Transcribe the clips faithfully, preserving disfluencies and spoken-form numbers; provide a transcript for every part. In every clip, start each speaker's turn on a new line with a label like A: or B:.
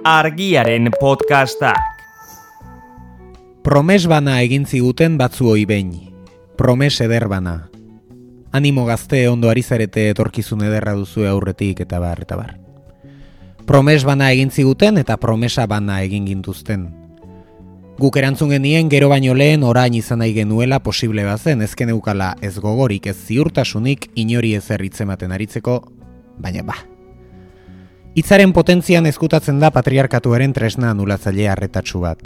A: Argiaren podcastak.
B: Promes bana egin ziguten batzuoi behin. Promes eder bana. Animo gazte ondo ari zarete etorkizun ederra duzue aurretik eta bar eta bar. Promes bana egin ziguten eta promesa bana egin gintuzten. Guk erantzun genien gero baino lehen orain izan nahi genuela posible bazen, ezken eukala ez gogorik ez ziurtasunik inori ezer hitzematen aritzeko, baina ba. Hitzaren potentzian ezkutatzen da patriarkatuaren tresna anulatzaile arretatsu bat.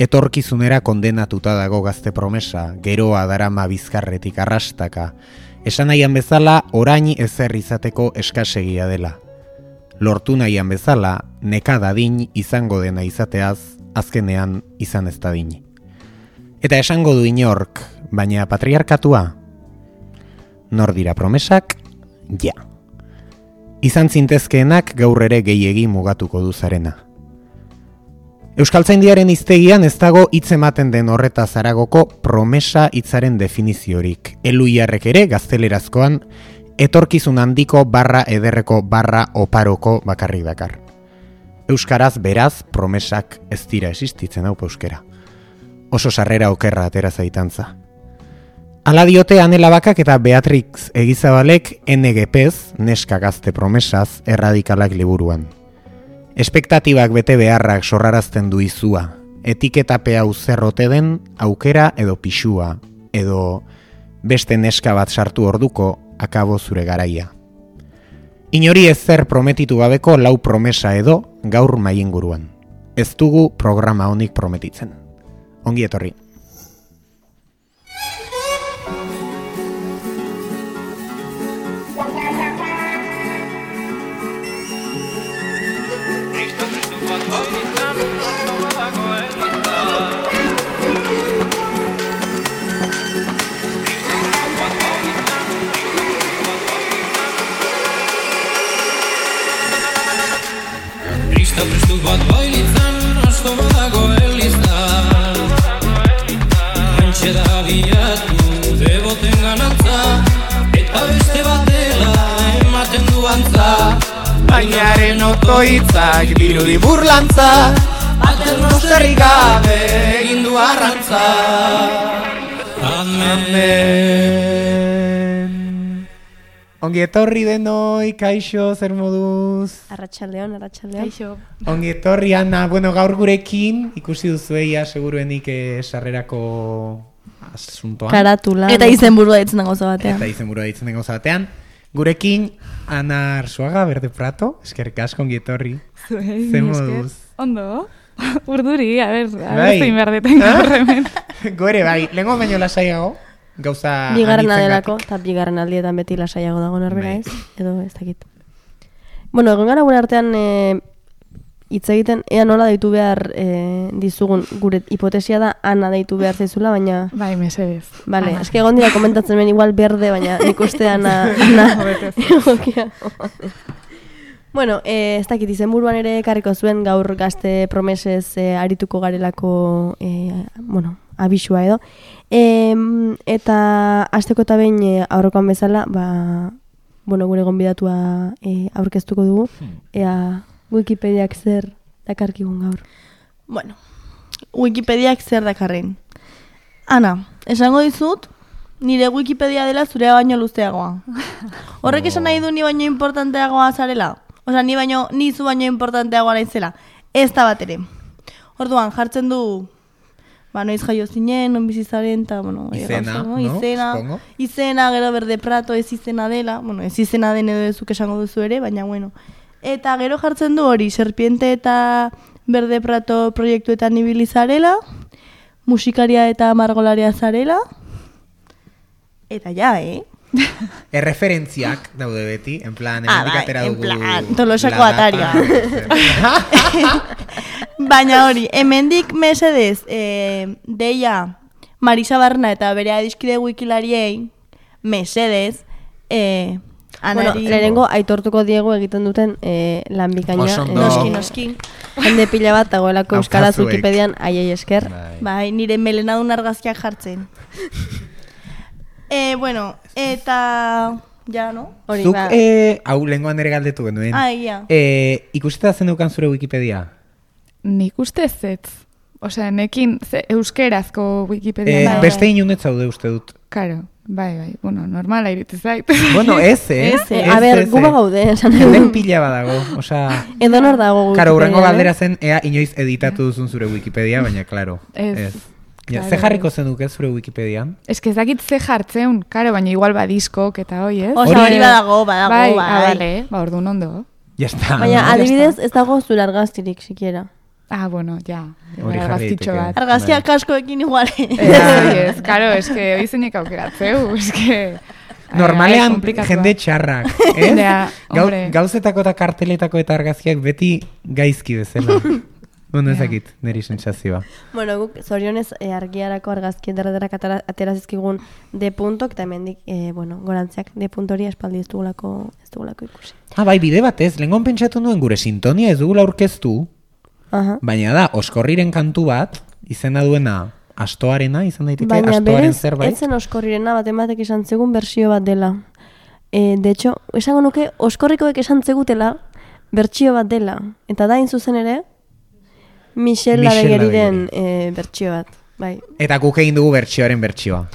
B: Etorkizunera kondenatuta dago gazte promesa, geroa darama bizkarretik arrastaka. Esan nahian bezala, orain ezer izateko eskasegia dela. Lortu nahian bezala, nekadadin izango dena izateaz, azkenean izan ez dadin. Eta esango du inork, baina patriarkatua? Nor dira promesak? Ja. Izan zintezkeenak gaur ere gehiegi mugatuko du zarena. Euskaltzaindiaren hiztegian ez dago hitz ematen den horretaz haragoko promesa hitzaren definiziorik. Eluiarrek ere gaztelerazkoan etorkizun handiko barra ederreko barra oparoko bakarrik dakar. Euskaraz beraz promesak ez dira existitzen hau euskera. Oso sarrera okerra atera zaitantza. Hala diote Anela Bakak eta Beatrix Egizabalek N G Pez, neska gazte promesaz, erradikalak liburuan. Espektatibak bete beharrak sorrarazten du izua, etiketape hau zerrote den aukera edo pixua, edo beste neska bat sartu orduko akabo zure garaia. Inori ezer prometitu gabeko lau promesa edo gaur maienguruan. Ez dugu programa honik prometitzen. Ongi etorri.
C: Prestu bat bailitzan, asko badago elizan. Antxe da bilatu, deboten ganantza, eta beste bat dela ematen du antza. Bainaren otoitzak dirudi burlantza, baten nosterrik gabe egin du arrantza. Amen.
B: Ongi etorri denoi, kaixo, zer moduz?
D: Arratsaldeon, arratsaldeon. Kaixo.
B: Ongi etorri, Ana, bueno, gaur gurekin, ikusi duzueia, seguruenik eh, sarrerako asuntoan.
D: Karatula. Eta izenburua ditzen den gauza batean.
B: Eta izenburua ditzen den gauza batean. Gurekin, Ana Arzuaga, Berde Prato, eskerrik asko, ongi etorri.
E: Zuei,
B: zer moduz?
E: Ondo, urduri, a ber, a
B: bai.
E: ber zein behar deten gaur hemen.
B: Gore, bai, lehenko baino lasaiago. Gauza
D: bigarren adelako, eta bigarren aldietan beti lasaiago dago norbera ez, edo ez dakit. Bueno, egon gara gure artean hitz e, egiten, ea nola deitu behar e, dizugun, gure hipotesia da Ana deitu behar zaizula, baina...
E: Bai, mesedez.
D: Vale, eske egon dira komentatzen ben igual berde, baina ikuste Ana... Ana egokia. Bueno, e, ez dakit, izenburuan ere ekarriko zuen gaur gazte promesez e, arituko garelako, e, bueno, abisua edo. E, eta hasteko eta behin e, aurrekoan bezala, ba, bueno, gure gonbidatua e, aurkeztuko dugu, ea Wikipediak zer dakarkigun gaur.
F: Bueno, Wikipediak zer dakarren. Ana, esango dizut, nire Wikipedia dela zurea baino luzeagoa. Horrek esan nahi du ni baino importanteagoa zarela? Osa, ni baino, ni zu baino importanteagoa naizela. Ez da bat ere. Orduan, jartzen du, ba, noiz jaio zinen, non bizizaren, eta, bueno,
B: izena, no?
F: Izena,
B: Supongo.
F: izena, gero Berde Prato ez izena dela, bueno, ez izena den edo ezuk esango duzu ere, baina, bueno. Eta gero jartzen du hori, Serpiente eta Berde Prato proiektuetan ibili zarela, musikaria eta margolaria zarela, eta ja, eh?
B: Erreferentziak daude beti, en plan, hemendik atera dugu...
F: En plan, Tolosako ataria. Baina hori, hemendik mesedez, eh, deia Marisa Barna eta bere adiskide wikilariei, mesedez, eh,
D: Anari... Bueno, lehenengo aitortuko diegu egiten duten eh, lan bikaina.
F: Noski, noski.
D: Jende pila bat dagoelako euskaraz Wikipedian aiei esker.
F: Bai, bai nire melenadun argazkiak jartzen. Eh, bueno, eta Ja, no?
B: Zuk, ba... eh, hau lehenkoan ere galdetu genuen.
F: Ah, ia.
B: Eh, ikusita zen dukan zure Wikipedia?
E: nik uste zetz. Osea, nekin ze, euskerazko Wikipedia.
B: Eh,
E: da.
B: beste inunet zaude uste dut.
E: Karo, bai, bai, bueno, normala iritzi zait.
B: Bueno, ez, eh?
D: Ez, eh, a ber, gu bagaude, esan
B: Hemen
D: edo.
B: pila badago, osea...
D: Edo nor dago
B: Karo, urrengo
D: Wikipedian,
B: galdera zen, ea inoiz editatu duzun zure Wikipedia, baina, klaro,
E: Ez,
B: ez. Ja,
E: claro.
B: ze jarriko zenuke zure Wikipedian?
E: Ez que ez dakit ze jartzeun, karo, baina igual badiskok eta hoi, ez?
F: Osa, hori badago, badago,
E: bai.
F: bai.
E: Ah, vale, ba, orduan ondo.
B: Ya está.
D: Baina,
B: no?
D: adibidez, ez dago zure argaztirik, sikiera.
E: Ah, bueno, ja.
B: Hori jarri
E: Argazkitxo
B: daiteke.
E: bat.
F: Argazkia
B: Bai.
F: kaskoekin igual.
E: Ez, ez, karo, ez que hoi zeinek aukeratzeu, ez que...
B: Normalean
E: Ai, komplikatua.
B: jende txarrak, ez?
E: Ja,
B: Gau,
E: hombre.
B: gauzetako eta karteletako eta argazkiak beti gaizki bezala. Bueno, ezakit, niri sentsazioa.
D: Bueno, guk zorionez e, argiarako argazki ederrederak atera, atera zizkigun D puntok, eta hemendik, e, bueno, gorantziak D punt hori espaldi ez dugulako, ez dugulako ikusi.
B: Ah, bai, bide batez, lehengon pentsatu nuen gure sintonia ez dugula aurkeztu,
D: Aha.
B: baina da, oskorriren kantu bat, izena duena astoarena, izan daiteke
D: Baina
B: astoaren
D: berez,
B: zerbait.
D: ez zen oskorrirena baten batek esan zegun bersio bat dela. E, de hecho, esango nuke, oskorrikoek esan zegutela bertsio bat dela. Eta da, zuzen ere, Michel
B: Michel
D: Ladegeriren e, bertsio bat. Bai,
B: Eta guk egin dugu bertsioaren bertsioa.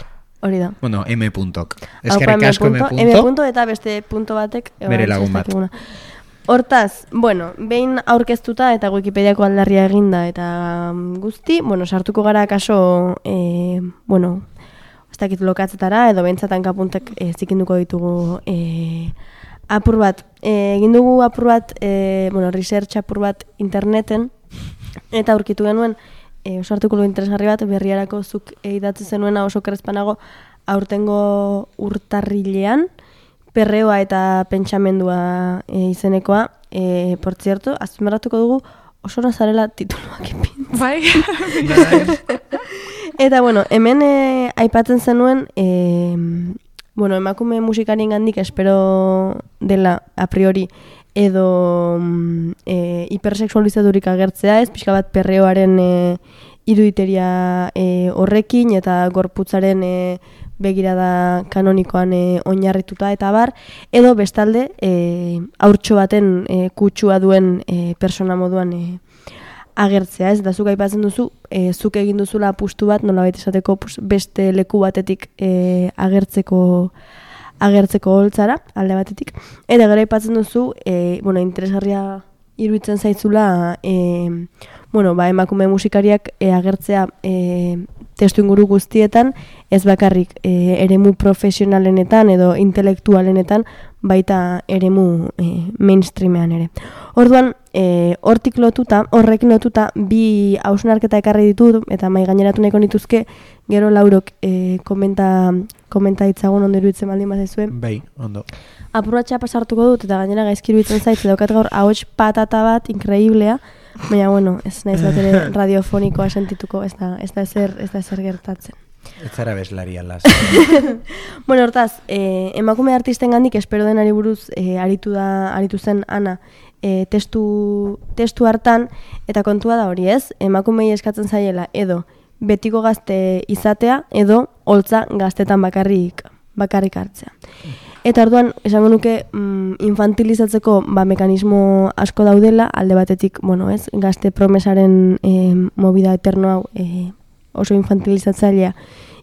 D: hori da.
B: Bueno, M puntok.
D: Haupa
B: Eskerrik asko M
D: M
B: punto.
D: M punto eta beste punto batek. e,
B: Bere
D: oraintxe
B: lagun
D: ez
B: bat.
D: dakiguna. Hortaz, bueno, behin aurkeztuta eta Wikipediako aldarria eginda eta mm, guzti, bueno, sartuko gara kaso, e, bueno, ez dakit lokatzetara edo behintzatan kapuntek e, zikinduko ditugu e, apur bat. E, egin dugu apur bat, e, bueno, research apur bat interneten, eta aurkitu genuen e, oso artikulu interesgarri bat berriarako zuk idatzi zenuena oso krespanago aurtengo urtarrilean, perreoa eta pentsamendua e, izenekoa, e, por cierto, azpimarratuko dugu oso nazarela tituluak ipin.
E: Bai.
D: Eta bueno, hemen e, aipatzen zenuen, e, bueno, emakume musikarien gandik espero dela a priori edo mm, e, hipersexualizaturik agertzea, ez pixka bat perreoaren e, iruditeria e, horrekin eta gorputzaren e, begirada kanonikoan e, oinarrituta eta bar, edo bestalde e, haurtxo baten e, kutsua duen e, persona moduan e, agertzea, ez? Eta zuk aipatzen duzu, e, zuk egin duzula apustu bat, nolabait esateko pues, beste leku batetik e, agertzeko agertzeko holtzara, alde batetik. Eta gero aipatzen duzu, e, bueno, interesgarria iruditzen zaitzula, e, bueno, ba, emakume musikariak e, agertzea e, testu inguru guztietan, ez bakarrik e, eremu profesionalenetan edo intelektualenetan, baita eremu e, mainstreamean ere. Orduan, e, hortik lotuta, horrekin lotuta, bi hausnarketa ekarri ditut, eta mai gaineratu nahiko nituzke, gero Laurok e, komenta, komenta ditzagun ondo iruditzen baldin bazizue.
B: Bai, ondo.
D: Apurratxa pasartuko dut, eta gainera gaizki iruditzen zaitz, daukat gaur ahots patata bat, inkreiblea, baina, bueno, ez naiz bat ere radiofonikoa sentituko, ez da, ez da ezer, ez da ezer gertatzen.
B: Ez zara beslari alaz.
D: Bueno, hortaz, eh, emakume artisten gandik espero denari buruz eh, aritu, da, aritu zen Ana eh, testu, testu hartan, eta kontua da hori ez, emakumei eskatzen zaiela edo betiko gazte izatea edo holtza gaztetan bakarrik, bakarrik hartzea. Eta orduan, esango nuke mm, infantilizatzeko ba, mekanismo asko daudela, alde batetik, bueno, ez, gazte promesaren eh, movida eterno hau eh, oso infantilizatzailea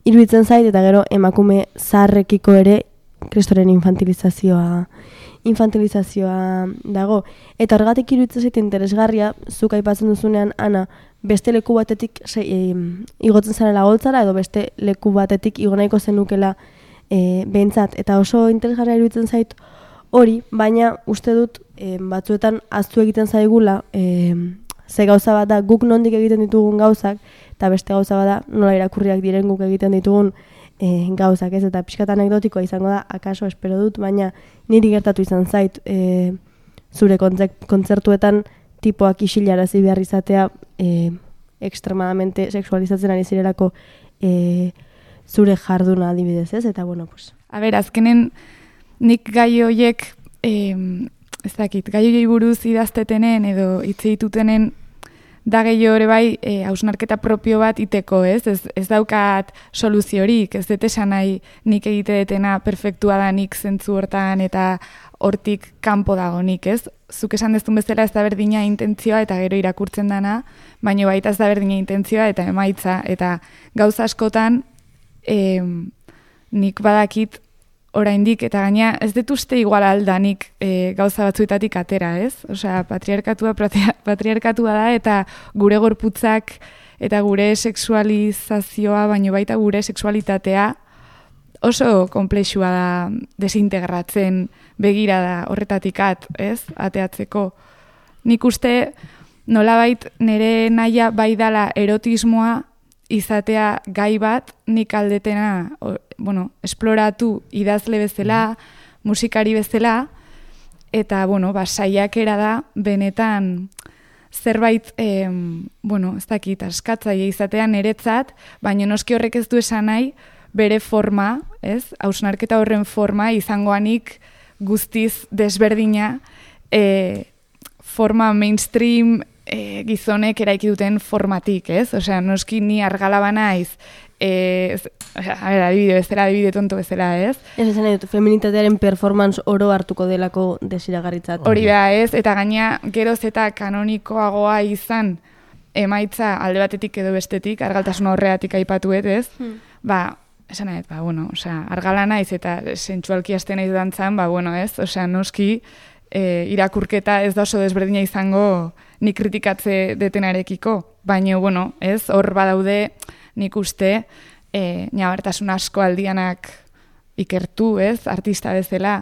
D: iruditzen zait, eta gero emakume zaharrekiko ere kristoren infantilizazioa infantilizazioa dago. Eta horregatik iruditzen zait interesgarria, zuk aipatzen duzunean, Ana, beste leku batetik se, e, igotzen zarela holtzara, edo beste leku batetik igo nahiko zenukela e, behintzat. Eta oso interesgarria iruditzen zait hori, baina uste dut e, batzuetan ahaztu egiten zaigula, e, ze gauza bat da guk nondik egiten ditugun gauzak, eta beste gauza bat da nola irakurriak diren guk egiten ditugun e, gauzak, ez? Eta pixkat anekdotikoa izango da, akaso espero dut, baina niri gertatu izan zait e, zure kontzertuetan tipoak isilarazi behar izatea e, extremadamente sexualizatzen ari zirelako e, zure jarduna adibidez, ez? Eta bueno, pues...
E: A ber, azkenen nik gai horiek, eh, ez dakit, gai horiei buruz idaztetenen edo hitz ditutenen da gehiago ere bai e, hausnarketa propio bat iteko, ez? Ez, ez daukat soluziorik, ez dut esan nahi nik egite detena perfektua da nik zentzu hortan eta hortik kanpo dago nik, ez? Zuk esan dezun bezala ez da berdina intentzioa eta gero irakurtzen dana, baina baita ez da berdina intentzioa eta emaitza, eta gauza askotan e, nik badakit oraindik, eta gaina ez dut uste igual aldanik e, gauza batzuetatik atera, ez? Osea, patriarkatua, patriarkatua da, eta gure gorputzak eta gure sexualizazioa, baino baita gure sexualitatea oso konplexua da desintegratzen begirada horretatik at, ez? Ateatzeko. Nik uste nolabait nire naia bai dala erotismoa izatea gai bat, nik aldetena, o, bueno, esploratu idazle bezala, musikari bezala, eta, bueno, ba, saiakera da, benetan, zerbait, eh, bueno, ez dakit, askatzaile izatea niretzat, baina noski horrek ez du esan nahi, bere forma, ez, hausnarketa horren forma, izangoanik guztiz desberdina, eh, forma mainstream, E, gizonek eraiki duten formatik, ez? Osea, noski ni argalaba naiz, e, a ber, adibide bezala, adibide tonto bezala, ez?
D: Ez esan nahi dut, feminitatearen performance oro hartuko delako desiragarritzat.
E: Hori da, ez? Eta gaina geroz eta kanonikoagoa izan emaitza alde batetik edo bestetik, argaltasun horreatik aipatuet, ez? Hmm. Ba, esan nahi, ba, bueno, osea, argala naiz eta sentsualki hasten naiz dantzan, ba, bueno, ez? Osea, noski, e, irakurketa ez da oso desberdina izango nik kritikatze detenarekiko, baina, bueno, ez, hor badaude nik uste e, nabartasun asko aldianak ikertu, ez, artista bezala.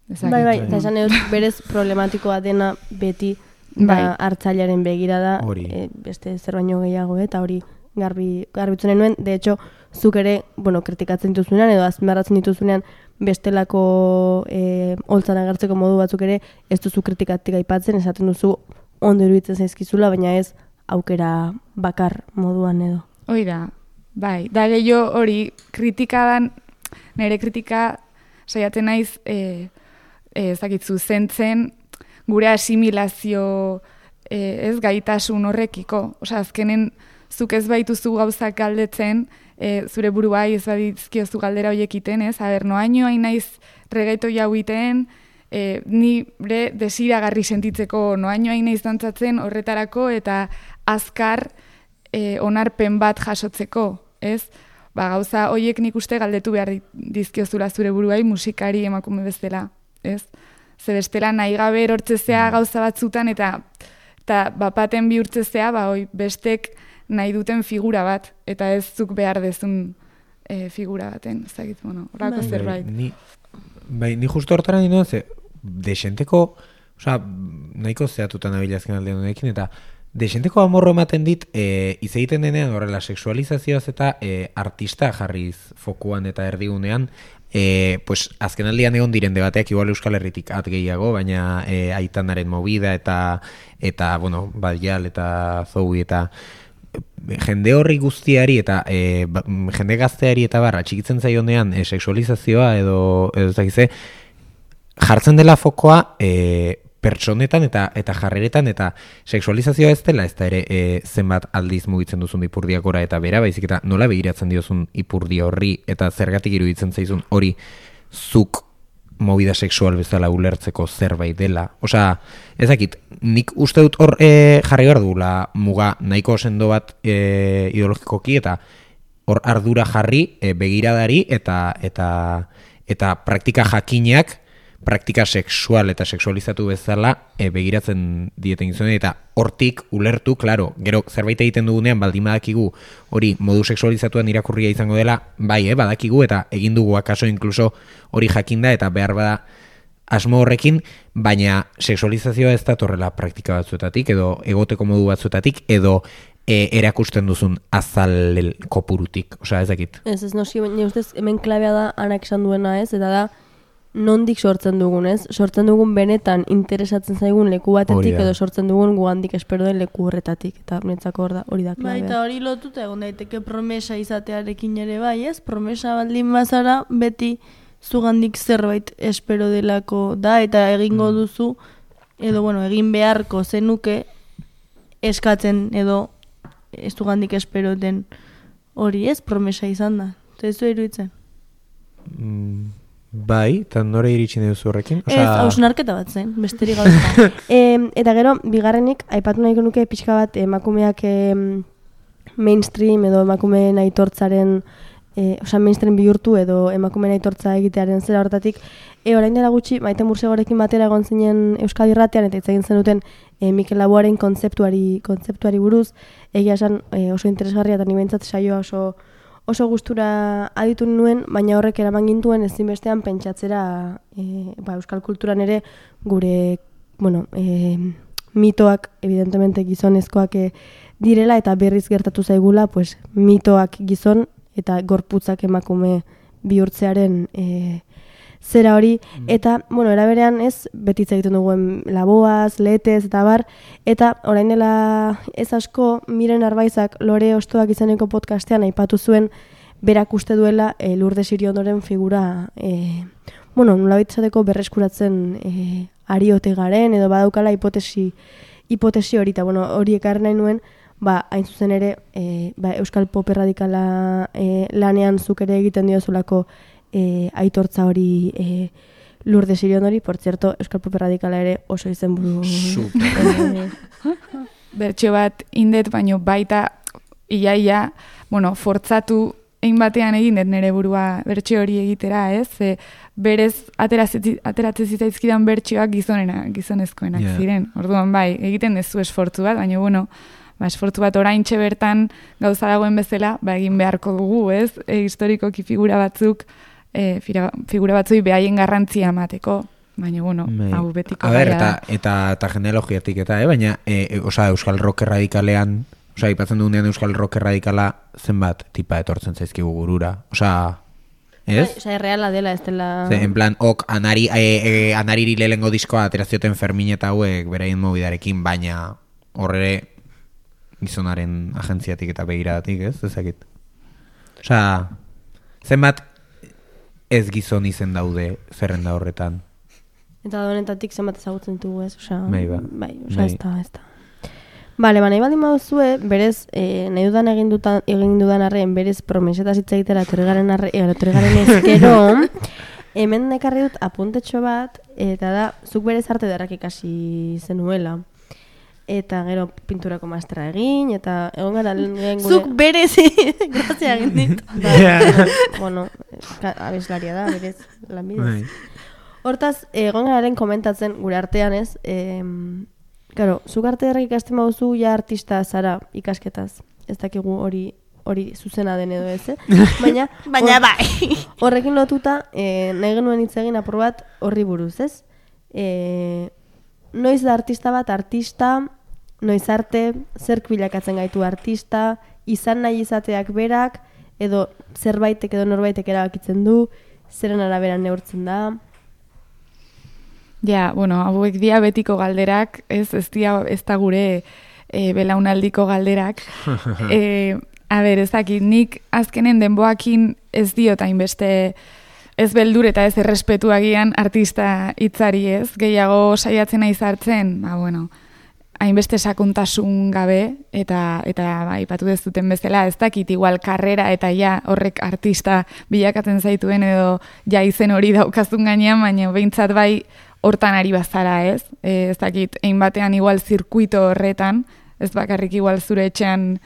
E: Ezakit.
D: Bai, bai, eta esan edut berez problematikoa dena beti da bai. Hartzailearen begirada, e, beste zer baino gehiago, eta hori garbi, garbitzen nuen, de hecho, zuk ere, bueno, kritikatzen dituzunean, edo azmarratzen dituzunean, bestelako e, holtzan agertzeko modu batzuk ere ez duzu kritikatik aipatzen, esaten duzu ondo iruditzen zaizkizula, baina ez aukera bakar moduan edo.
E: Hoi da, bai, da gehiago hori kritikadan, nire kritika saiatzen naiz e, e, ezakitzu zentzen gure asimilazio e, ez gaitasun horrekiko. Osea, azkenen zuk ez baituzu gauzak galdetzen, E, zure buruai ez badizkiozu galdera horiek iten, ez? Aber, noaino hain naiz regaito jau iten, e, nire desiragarri sentitzeko noaino hain naiz dantzatzen horretarako eta azkar e, onarpen bat jasotzeko, ez? Ba, gauza horiek nik uste galdetu behar dizkiozula zure buruai musikari emakume bezala, ez? Ze bestela nahi gabe erortzezea gauza batzutan eta, eta bapaten bihurtzezea, ba, oi, bestek nahi duten figura bat, eta ez zuk behar dezun e, figura baten, ez dakit, bueno, horako bai. Zerbait.
B: Ni, bai, ni justo hortara ninduen, ze, desenteko, oza, nahiko zehatutan abilazken aldean honekin, eta desenteko amorro ematen dit, e, izegiten denean horrela seksualizazioaz eta e, artista jarriz fokuan eta erdigunean, e, pues, azken aldian egon diren debateak igual Euskal Herritik at gehiago, baina e, Aitanaren movida eta, eta bueno, Badial eta Zoui eta jende horri guztiari eta e, ba, jende gazteari eta barra txikitzen zaionean e, seksualizazioa edo edo zakize jartzen dela fokoa e, pertsonetan eta eta jarreretan eta seksualizazioa ez dela ez da ere e, zenbat aldiz mugitzen duzun ipurdiakora eta bera, baizik eta nola begiratzen diozun ipurdi horri eta zergatik iruditzen zaizun hori zuk movida sexual bezala ulertzeko zerbait dela. Osea, ezakit, nik uste dut hor e, jarri behar dugula muga nahiko sendo bat e, ideologikoki eta hor ardura jarri e, begiradari eta eta eta praktika jakinak praktika sexual eta sexualizatu bezala e, begiratzen dieten gizone eta hortik ulertu, claro, gero zerbait egiten dugunean baldin badakigu hori modu sexualizatuan irakurria izango dela, bai, eh, badakigu eta egin dugu akaso inkluso hori jakinda eta behar bada asmo horrekin, baina sexualizazioa ez da torrela praktika batzuetatik edo egoteko modu batzuetatik edo e, erakusten duzun azal kopurutik, osea ez dakit.
D: Ez, ez noski, baina ustez hemen klabea da anak esan duena ez, eta da nondik sortzen dugun, ez? Sortzen dugun benetan interesatzen zaigun leku batetik edo sortzen dugun guandik espero den leku horretatik. Eta netzako hor da, hori da klabea.
F: Bai, eta hori lotuta egon daiteke promesa izatearekin ere bai, ez? Promesa baldin bazara beti zugandik zerbait espero delako da eta egingo duzu edo bueno, egin beharko zenuke eskatzen edo ez du gandik esperoten hori ez, promesa izan da. Eta ez du iruditzen.
B: Mm, bai, eta nore iritsi duzu horrekin?
F: Ez, hausnarketa bat zen, besterik gauza.
D: e, eta gero, bigarrenik, aipatu nahiko nuke pixka bat emakumeak e, mainstream edo emakumeen aitortzaren, e, oza, mainstream bihurtu edo emakumeen aitortza egitearen zera hortatik, e, orain dela gutxi, Maite Mursegorekin batera egon zinen Euskadi Irratian eta hitz egin zenuten e, Mikel Laboaren kontzeptuari, kontzeptuari buruz, egia esan e, oso interesgarria eta nibentzat saioa oso oso gustura aditu nuen, baina horrek eraman gintuen ezinbestean pentsatzera e, ba, euskal kulturan ere gure, bueno, e, mitoak, evidentemente gizonezkoak e, direla eta berriz gertatu zaigula, pues, mitoak gizon eta gorputzak emakume bihurtzearen e, zera hori, eta, bueno, eraberean ez, betitza egiten duguen Laboaz, Lehetez, eta bar, eta orain dela ez asko, Miren Arbaizak Lore Ostoak izeneko podcastean aipatu zuen, berak uste duela e, Lourdes Iriondoren figura, e, bueno, nolabait izateko berreskuratzen e, ari ote garen, edo badaukala hipotesi, hipotesi hori, eta bueno, hori ekarri nahi nuen, ba, hain zuzen ere, e, ba, Euskal Pop erradikala e, lanean zuk ere egiten diozulako E, aitortza hori e, Lourdes Iriondori, por cierto, Euskal Pop Radikala ere oso izen buru e,
E: bertxo bat indet, baino baita iaia, bueno, fortzatu egin batean egin dut nire burua bertxo hori egitera, ez? E, berez ateratzen zitzaizkidan bertxoak gizonena, gizonezkoenak yeah. ziren. Orduan bai, egiten dezu esfortzu bat, baina bueno, ba, esfortzu bat oraintxe bertan gauza dagoen bezala, ba, egin beharko dugu, ez? E, historikoki figura batzuk, e, figura batzui behaien garrantzia emateko, baina, bueno, Mei. hau betiko.
B: A ber, eta, eta, eta genealogiatik eta, eh? baina, e, e, oza, Euskal Rock erradikalean, oza, ipatzen dugunean Euskal Rock erradikala zenbat tipa etortzen zaizkigu burura, oza, ez?
D: Oza, erreala dela, ez dela...
B: Ze, en plan, ok, anari, e, e, anariri lehengo diskoa aterazioten Fermin eta hauek beraien mobidarekin, baina horre gizonaren agentziatik eta begiradatik, ez? Ezakit. Osa, zenbat ez gizon izen daude zerrenda horretan.
D: Eta da honetatik zenbat ezagutzen ditugu, ez? Osa,
B: bai, ba.
D: bai, osa, ez da, ez da. Bale, ba, nahi baldin baduzue, berez, eh, nahi dudan egin, dutan, egin dudan arren, berez promesetaz hitz egitera etorrigaren arre, etorrigaren ezkero, hemen nekarri dut apuntetxo bat, eta da, zuk berez arte derrak ikasi zenuela. Eta gero pinturako masterra egin, eta egon gara lehen gure...
F: Zuk berezi, grazia egin dit.
D: Da, bueno, abeslaria da, berez, lanbidez. Hortaz, egon gararen komentatzen gure artean ez, e, claro, zuk arte derrak ikasten baduzu ja artista zara ikasketaz. Ez dakigu hori hori zuzena den edo ez, eh? Baina,
F: Baina bai.
D: Horrekin lotuta, e, nahi genuen hitz egin apur bat horri buruz, ez? E, noiz da artista bat artista, noiz arte, zerk bilakatzen gaitu artista, izan nahi izateak berak, edo zerbaitek edo norbaitek erabakitzen du, zeren arabera neurtzen da.
E: Ja, bueno, hauek dia betiko galderak, ez, ez, dia, ez da gure e, belaunaldiko galderak. e, a ber, ez dakit, nik azkenen denboakin ez diot hainbeste ez beldur eta ez errespetuagian artista hitzari, ez, gehiago saiatzen nahi zartzen, ba, bueno, hainbeste sakontasun gabe, eta eta ba, ipatu dezuten bezala, ez dakit igual karrera eta ja horrek artista bilakatzen zaituen edo ja izen hori daukazun gainean, baina behintzat bai hortan ari bazara, ez? E, ez dakit, egin batean igual zirkuito horretan, ez bakarrik igual zure etxean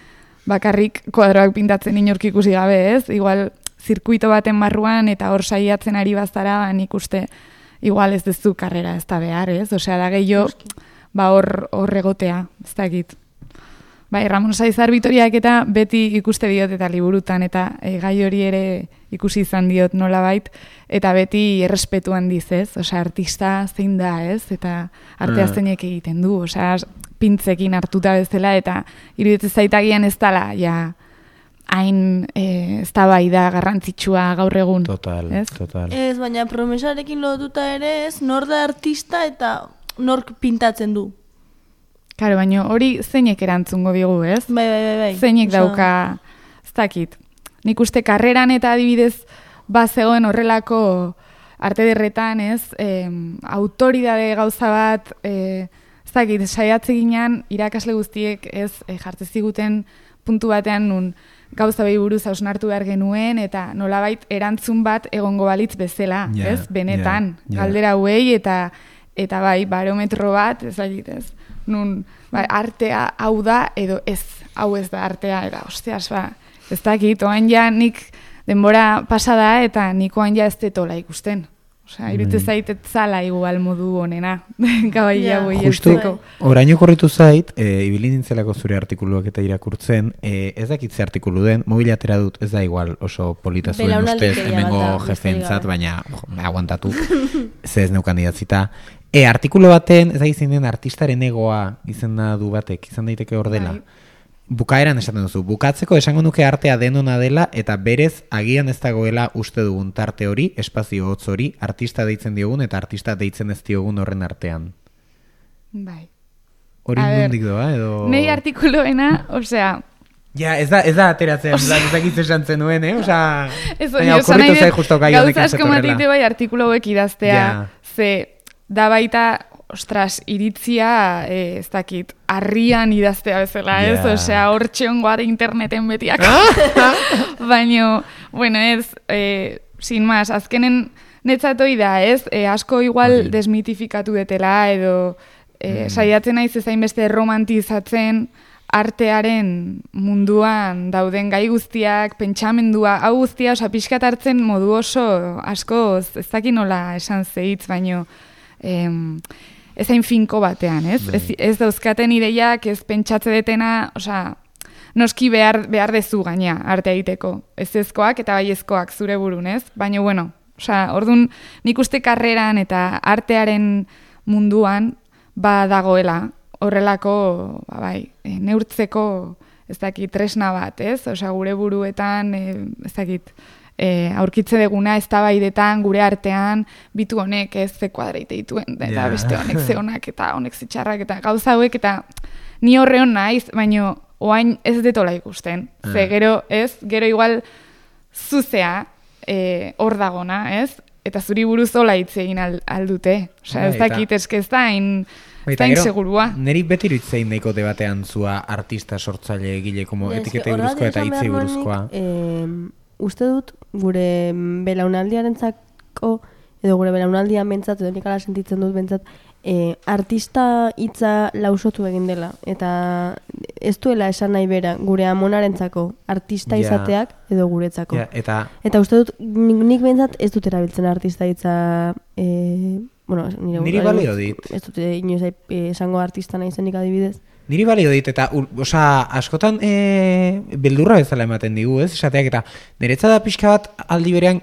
E: bakarrik kuadroak pintatzen inork ikusi gabe, ez? Igual zirkuito baten barruan eta hor saiatzen ari bazara, ba, nik uste igual ez dezu karrera ez da behar, ez? Osea, da gehiago ba hor hor egotea, ez dakit. Bai, Ramon Saizar Vitoriak eta beti ikuste diot eta liburutan eta e, gai hori ere ikusi izan diot nolabait eta beti errespetu handiz, ez? Osea, artista zein da, ez? Eta artea zeinek egiten du, osea, pintzekin hartuta bezala eta iruditzen zaitagian ez dela, ja, hain e, ez da bai da garrantzitsua gaur egun.
B: Total,
E: ez?
B: total.
F: Ez, baina promesarekin lotuta ere ez, nor da artista eta nork pintatzen du.
E: Claro, baina hori zeinek erantzungo digu, ez?
F: Bai, bai, bai, bai.
E: Zeinek
F: Osa...
E: dauka, ez dakit. Nik uste karreran eta adibidez bazegoen horrelako arte derretan, ez? E, autoridade gauza bat, e, ez dakit, saiatze ginean irakasle guztiek ez e, jartze ziguten puntu batean nun gauza behi buruz hausnartu behar genuen, eta nolabait erantzun bat egongo balitz bezala,
B: Yeah,
E: ez? Benetan,
B: yeah, yeah.
E: galdera hauei, eta eta bai, barometro bat, ez dakit, ez? Nun, bai, artea hau da, edo ez, hau ez da artea, eta osteaz, ba, ez dakit, oan ja nik denbora pasada, eta nik oan ja ez detola ikusten. Osea, irute zaitet zala igual modu honena, gabaia boi
B: Justu,
E: ezteko.
B: oraino korritu zait, e, ibili nintzelako zure artikuluak eta irakurtzen, e, ez dakit ze artikulu den, mobila atera dut, ez da igual oso polita zuen ustez,
D: Belaunaldikeria
B: hemengo
D: bat da,
B: jefentzat,
D: besterik
B: baina jo, aguantatu, ze ez neukan idatzita. E, artikulu baten, ez da izin den artistaren egoa izena du batek, izan daiteke hor dela.
E: Bai.
B: Bukaeran esaten duzu, bukatzeko esango nuke artea denona dela eta berez agian ez dagoela uste dugun tarte hori, espazio hotz hori, artista deitzen diogun eta artista deitzen ez diogun horren artean.
E: Bai.
B: Hori
E: A ber,
B: nondik doa, edo...
E: Nei artikuloena, osea,
B: Ja, ez da, ez da ateratzen,
E: Osea-
B: ez dakit esan zenuen, eh? Osea,
E: ez
B: baina
E: esan
B: okurritu
E: nahi
B: zai
E: dut,
B: justo gai honekin
E: gauza asko
B: zetorrela.
E: matite bai artikulo hauek idaztea,
B: Ja.
E: ze da baita, ostras, iritzia, eh, ez dakit, harrian idaztea bezala, ez?
B: Ja.
E: Osea, hortxe ongoa interneten betiak. Baina, bueno, ez, eh, sin más, azkenen netzatoi da, ez? Eh, asko igual
B: Hori.
E: desmitifikatu detela, edo eh, saiatzen naiz ezain beste romantizatzen artearen munduan dauden gai guztiak, pentsamendua, hau guztia, osa pixkat hartzen modu oso asko, ez dakit nola esan zeitz, baino em, ezain finko batean, ez? Ez, ez dauzkaten ideiak, ez pentsatze detena, osea, noski behar, behar dezu gaina arte egiteko. Ez ezkoak eta bai ezkoak zure burun, ez? Baina, bueno, osea, orduan nik uste karreran eta artearen munduan ba dagoela horrelako, ba, bai, e, neurtzeko, ez dakit, tresna bat, ez? Osea, gure buruetan, e, ez dakit, e, aurkitze deguna eztabaidetan gure artean bitu honek ez ze kuadreite dituen eta
B: Ja.
E: beste honek ze onak eta honek ze txarrak eta gauza hauek eta ni horreon naiz, baino oain ez detola ikusten. Ze
B: Ah.
E: gero, ez? Gero igual zuzea eh, hor dagona, ez? Eta zuri buruz hola hitz egin al, aldute. Osea, ez
B: Bai, eta-
E: dakit eske ez da hain ez
B: Baita,
E: da hain
B: gero,
E: segurua.
B: Neri beti iruitzein nahiko debatean zua artista sortzaile egile, como
D: Ja, eske
B: etiketei
D: horregatik
B: buruzkoa eta
D: esan
B: hitzei
D: behar nuen
B: buruzkoa.
D: nik, em, uste dut gure belaunaldiarentzako edo gure belaunaldian bentsat edo nik ala sentitzen dut bentsat e, artista hitza lausotu egin dela eta ez duela esan nahi bera gure amonarentzako artista
B: Ja.
D: izateak edo guretzako.
B: Ja, eta
D: Eta uste dut nik, nik bentsat ez dut erabiltzen artista hitza e, bueno, nire
B: Niri
D: buruari
B: balio
D: buruz
B: dit.
D: Ez dut eh, inoiz eh, esango artista naizenik adibidez.
B: Niri balio dit, eta, ul- osea, askotan e, beldurra bezala ematen digu, ez? Esateak, eta niretza da pixka bat aldi berean,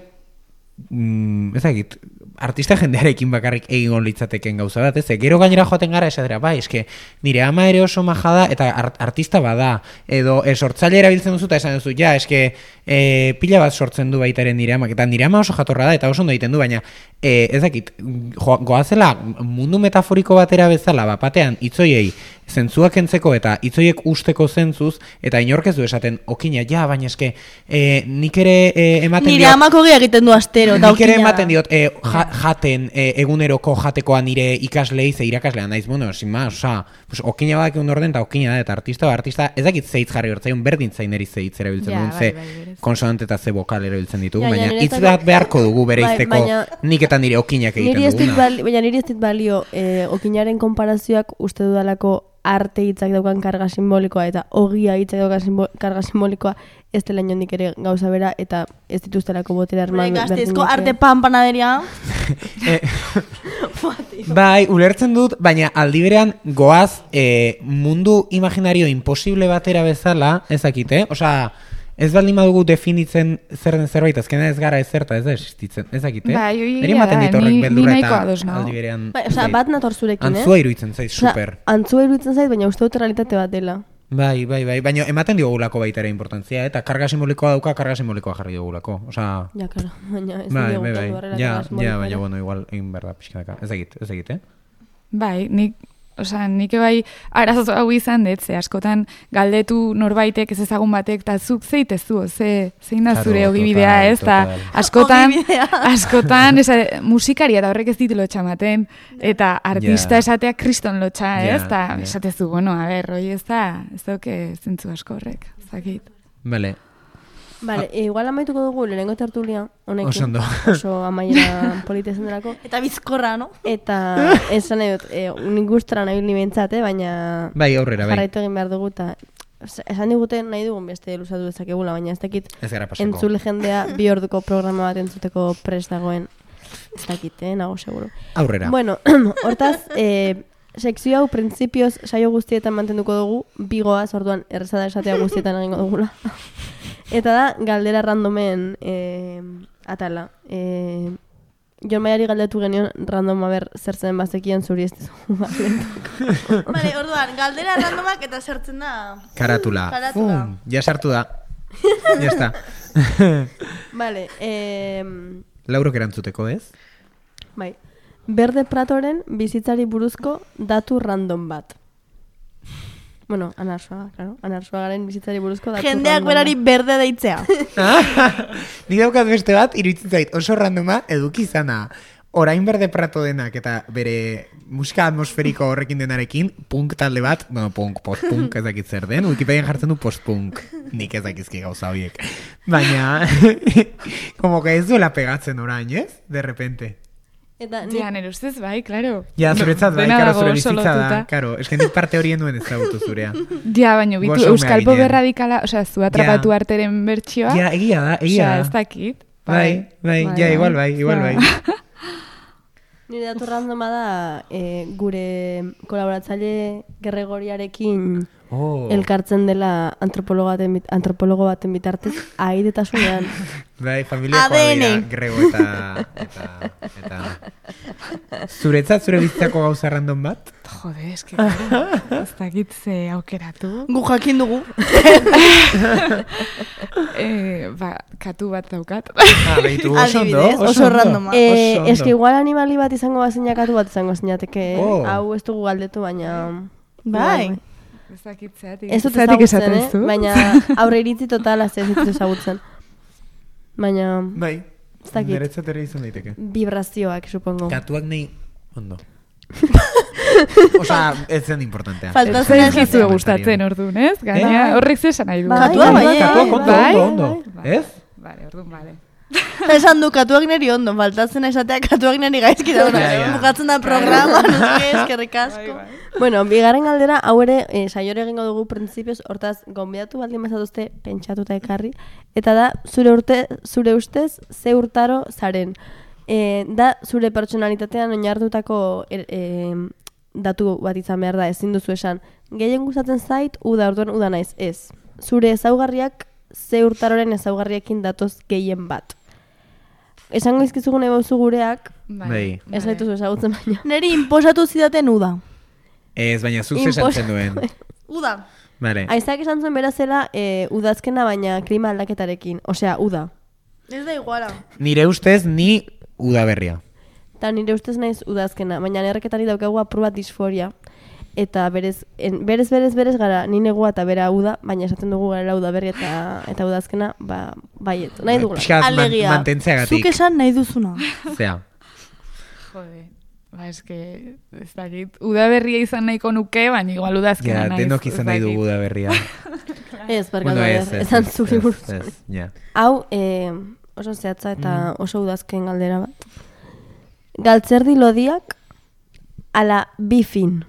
B: mm, ez dakit, artista jendearekin bakarrik egin litzateken gauza bat, ez? Gero gainera joaten gara esatera, bai, eske nire ama ere oso maja da eta art, artista bada, edo e, sortzaile erabiltzen duzu eta esan duzu, ja, eske e, pila bat sortzen du baitaren nire amak, eta nire ama oso jatorra da eta oso ondo egiten du, baina e, ez dakit, jo, goazela mundu metaforiko batera bezala, bat batean itzoiei zentzuak entzeko eta itzoiek usteko zentzuz, eta inork ez du esaten, okina, ja, baina eske e, nik ere e, ematen
F: Nire
B: diot-
F: amako gehiak egiten du astero, eta
B: Nik ere
F: okina da.
B: ematen diot, e, ja, jaten, e, eguneroko jatekoa nire ikaslei, ze irakaslea naiz, bueno, sin más, oza, pues, okina badak egun orden, eta okina da, eta artista ba, artista, ez dakit zeitz jarri hortzaion, berdin zaineri zeitz erabiltzen
E: Ja,
B: duen,
E: bai,
B: ze
E: bai, berez.
B: konsonante eta ze vokal erabiltzen ditugu,
D: Ja, ja,
B: baina hitz
D: niretzako-
B: bat beharko dugu bere
D: Bai,
B: izteko
D: baina-
B: nik eta nire okinak egiten
D: Niri ez dit
B: duguna.
D: balio, baina niri ez dit balio eh, okinaren konparazioak uste dudalako arte hitzak daukan karga simbolikoa eta ogia hitzak daukan simbo, karga simbolikoa ez dela inondik ere gauza bera eta ez dituztelako botera
F: Gure
D: arma
F: Gasteizko arte pan panaderia.
B: Eh, bai, ulertzen dut, baina aldi berean goaz e, mundu imaginario imposible batera bezala, ez dakite, osea, ez baldin badugu definitzen zer den zerbait, azkena ez gara ezerta, ez da existitzen, ez dakite?
E: Bai, hori
B: Niri
E: egia
B: ematen
E: da,
B: dit horrek
E: ni- ni
B: beldurra
E: nahiko
B: eta
E: ados nago.
B: aldi berean...
D: Bai,
B: ez
D: osea,
B: dakit.
D: bat nator zurekin, eh?
B: Antzua iruditzen zait,
D: Osea,
B: super.
D: antzua iruditzen zait, baina uste dut realitate bat dela.
B: Bai, bai, bai, baina ematen diogulako baita ere importantzia, eta karga simbolikoa dauka, karga simbolikoa jarri digulako, osea...
D: Ja, claro, baina ez
B: Bai,
D: nire
B: bai,
D: gustatu
B: bai,
D: horrela
B: ja,
D: karga
B: ja,
D: simbolikoa
B: baina,
D: ere.
B: bueno, igual egin behar da pixkanaka, ez dakit, ez dakit, eh?
E: Bai, nik Osea, nik bai arazo hau izan dut, ze askotan galdetu norbaitek ez ezagun batek, eta zuk zeitezu, ze, zein da zure
B: Claro,
E: ogibidea,
B: total,
E: ez, eta
B: total.
E: askotan,
F: Ogibidea.
E: askotan, esa, musikaria da horrek ez ditu lotxamaten, eta artista
B: Ja.
E: esatea kriston lotxa,
B: Ja,
E: ez, eta
B: ja.
E: esatezu, bueno, a ber, hoi ez da, ez dauke zentzu asko horrek, zakit.
B: Bale,
D: Vale, e, igual amaituko dugu lehenengo tertulia honekin.
B: Oso ondo.
D: Oso amaiera polita esan delako.
F: Eta bizkorra, no?
D: Eta esan nahi dut, e, nik guztara nahi ni behintzat, eh, baina
B: bai, aurrera, bai.
D: jarraitu egin behar dugu, eta esan diguten nahi dugun beste luzatu dezakegula, baina ez dakit
B: Ez gara pasako.
D: entzule jendea bi orduko programa bat entzuteko prest dagoen. Ez dakit, eh, nago seguro.
B: Aurrera.
D: Bueno, hortaz, eh, sekzio hau printzipioz saio guztietan mantenduko dugu, bigoaz, orduan erreza da esatea guztietan egingo dugula. Eta da, galdera randomen eh, atala. Eh, Jon Maiari galdetu genion random aber zer zen bazekien zuri ez dizu.
F: Vale, orduan, galdera randomak eta sartzen da...
B: Karatula.
F: Karatula.
B: Fum, ja sartu da. Ya está.
D: Vale, eh,
B: Laurok erantzuteko, ez?
D: bai. Berde Pratoren bizitzari buruzko datu random bat. Bueno, Anarsoaga, claro. Anarsoagaren bizitzari buruzko datu
F: Jendeak
D: random
F: berari
D: bat.
F: berde deitzea.
B: Nik daukat beste bat, iruditzen zait, oso randoma eduki izana. Orain Berde Prato denak eta bere musika atmosferiko horrekin denarekin, punk talde bat, bueno, punk, post-punk ez dakit zer den, Wikipedian jartzen du post-punk. Nik ez dakizki gauza horiek. Baina, como que ez duela pegatzen orain, ez? De repente.
D: Eta nik,
E: Ja, nire ustez, bai, claro.
B: Ja, zuretzat bai,
E: Dena
B: karo,
E: dago
B: zure
E: oso
B: bizitza da.
E: lotuta.
B: Karo, eske nik parte horien duen ezagutu zurea.
E: Ja, baina bitu,
B: Gozo
E: Euskal
B: mehaginean.
E: Pobe radikala, osea, zu atrapatu arteren bertsioa.
B: Ja, egia da, egia
E: Osea,
B: da.
E: ez dakit.
B: Bai, bai,
E: Bai,
B: ja,
E: bai.
B: igual bai, igual
E: Ja.
B: bai.
D: nire datu randoma da eh, gure kolaboratzaile Gerregoriarekin
B: Oh.
D: elkartzen dela antropologo baten, bit- antropologo baten bitartez aidetasunean.
B: Bai, familiakoa
F: A D N.
B: dira, Grego eta, eta, eta... Zuretzat, zure bizitzako gauza random bat?
E: Jode, eske, claro, ez dakit ze aukeratu.
F: Gu jakin dugu.
E: Eh, ba, katu bat daukat.
B: Ah, behitu oso ondo,
F: Adibidez, oso
B: ondo.
F: randoma.
D: Eh,
B: Oso ondo.
D: eske igual animali bat izango bazinakatu bat izango zinateke.
B: Oh.
D: Hau ez dugu galdetu, baina...
F: Bai.
E: Ez dakit zeatik.
D: Ez dut
E: Zeatik
D: ezagutzen,
E: esaten
D: eh?
E: zu.
D: Baina aurre iritzi totala ez dut ezagutzen. Baina
B: Bai,
D: ez dakit.
B: niretzat ere izan daiteke.
D: Vibrazioak, supongo.
B: Katuak nahi ondo. Osea, ez zen importantea.
F: Falta
E: Ez
F: zuen
E: zaizu
F: esatea.
E: gustatzen ordun, ez? Gaina,
D: Bai.
E: horrek zesan nahi du.
D: Bai,
F: Katua bai,
B: Katuak ondo,
E: bai,
B: ondo, ondo.
E: bai.
B: Ez?
E: Vale, ordun, vale.
F: Esan du, katuak neri ondo, faltatzen esatea katuak neri gaizki da.
B: Ja, ja.
F: Bukatzen da programa, no sé, eskerrik asko.
D: Bueno, bigarren galdera, hau ere, e, saiore egingo dugu printzipioz, hortaz, gonbidatu baldin bazatuzte pentsatuta ekarri, eta da, zure urte, zure ustez, ze urtaro zaren. E, da, zure pertsonalitatean oinartutako er, e, datu bat izan behar da, ezin duzu esan. Gehien gustatzen zait, uda, orduan uda naiz, ez. Zure ezaugarriak, ze urtaroren ezaugarriekin datoz gehien bat. Esango izkizugun ebauzu gureak,
B: Bai.
D: ez gaituzu ezagutzen baina.
F: Neri inposatu zidaten uda.
B: Ez, baina zuz
D: Impos-
B: esan zen duen.
F: Uda.
B: Vale.
D: Aizak esan zuen bera zela e, udazkena baina klima aldaketarekin, osea, uda.
F: Ez da iguala.
B: Nire ustez, ni udaberria.
D: Eta nire ustez naiz udazkena, baina erreketari daukagu apur bat disforia. Eta berez, en, berez, berez, berez gara, ni negua eta bera uda, baina esaten dugu gara udaberri eta, eta udazkena, ba, baiet, nahi dugula.
B: Pixka bat man,
F: Alegia.
B: mantentzeagatik.
F: Zuk esan nahi duzuna.
B: Zea.
E: Jode. Ba, eske, ez dakit, udaberria izan nahiko nuke, baina igual udazkena
B: Ja,
E: naiz.
B: denok
E: ez
B: izan nahi
E: dakit.
B: dugu udaberria.
D: Ez, barkatu,
B: Bueno, ez,
D: ez,
B: ez,
D: esan
B: ez,
D: zuri
B: ez,
D: buruz.
B: ez, ja.
D: Hau, e, oso zehatza eta oso udazken galdera bat. Galtzerdi lodiak ala bifin.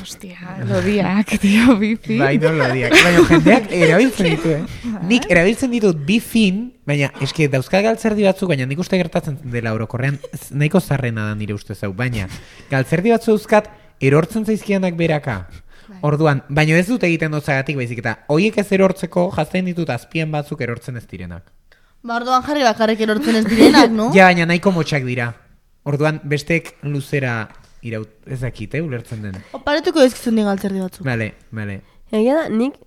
E: Ostia, lodiak, tio, bifi.
B: Bai, no lo diak. Baina jendeak erabiltzen ditu, eh? Nik erabiltzen ditut bi fin, baina eske dauzka galtzerdi batzuk, baina nik uste gertatzen dela orokorrean z- nahiko zarrena da nire ustez hau, baina galtzerdi batzu dauzkat erortzen zaizkianak beraka. Orduan, baina ez dut egiten dotzagatik baizik eta hoiek ez erortzeko jazten ditut azpien batzuk erortzen ez direnak.
F: Ba, orduan jarri bakarrik erortzen ez direnak, no?
B: Ja, baina nahiko motxak dira. Orduan, bestek luzera iraut, ez dakit, eh, ulertzen den.
F: Oparetuko ezkizun di galtzerdi batzuk.
B: Vale, vale.
D: Egia da, nik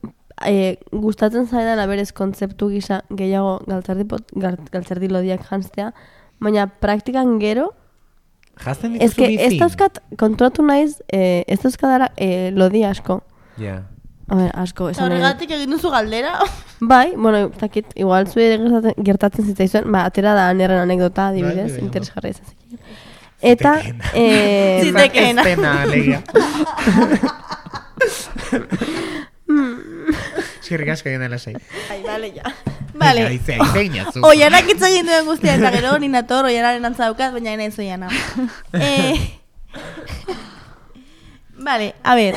D: e, gustatzen zaidan aberez kontzeptu gisa gehiago galtzerdi, pot, gal- galtzerdi lodiak janztea, baina praktikan gero
B: Jazten
D: Ez
B: dituzu
D: que
B: bizi?
D: ez dauzkat, konturatu naiz, eh, ez dauzkadara eh, lodi asko.
B: Ja.
D: A ver, asko, esan nahi dut.
F: Horregatik egin duzu galdera.
D: Bai, bueno, takit, igual zuere gertatzen, gertatzen zitzaizuen, ba, atera da anerren anekdota, adibidez,
B: bai,
D: interesgarria izan ziren. Eta, eh,
F: Zitekeena.
B: Ez dena, alegia. Eskerrik asko egin dela zei.
F: Ai, bale, ja. Bale.
B: Aize, aize inazu.
F: Oianak hitz egin duen guztia, eta gero hori nator, oianaren antza daukat, baina nahi zoiana. eh, Bale, a ber,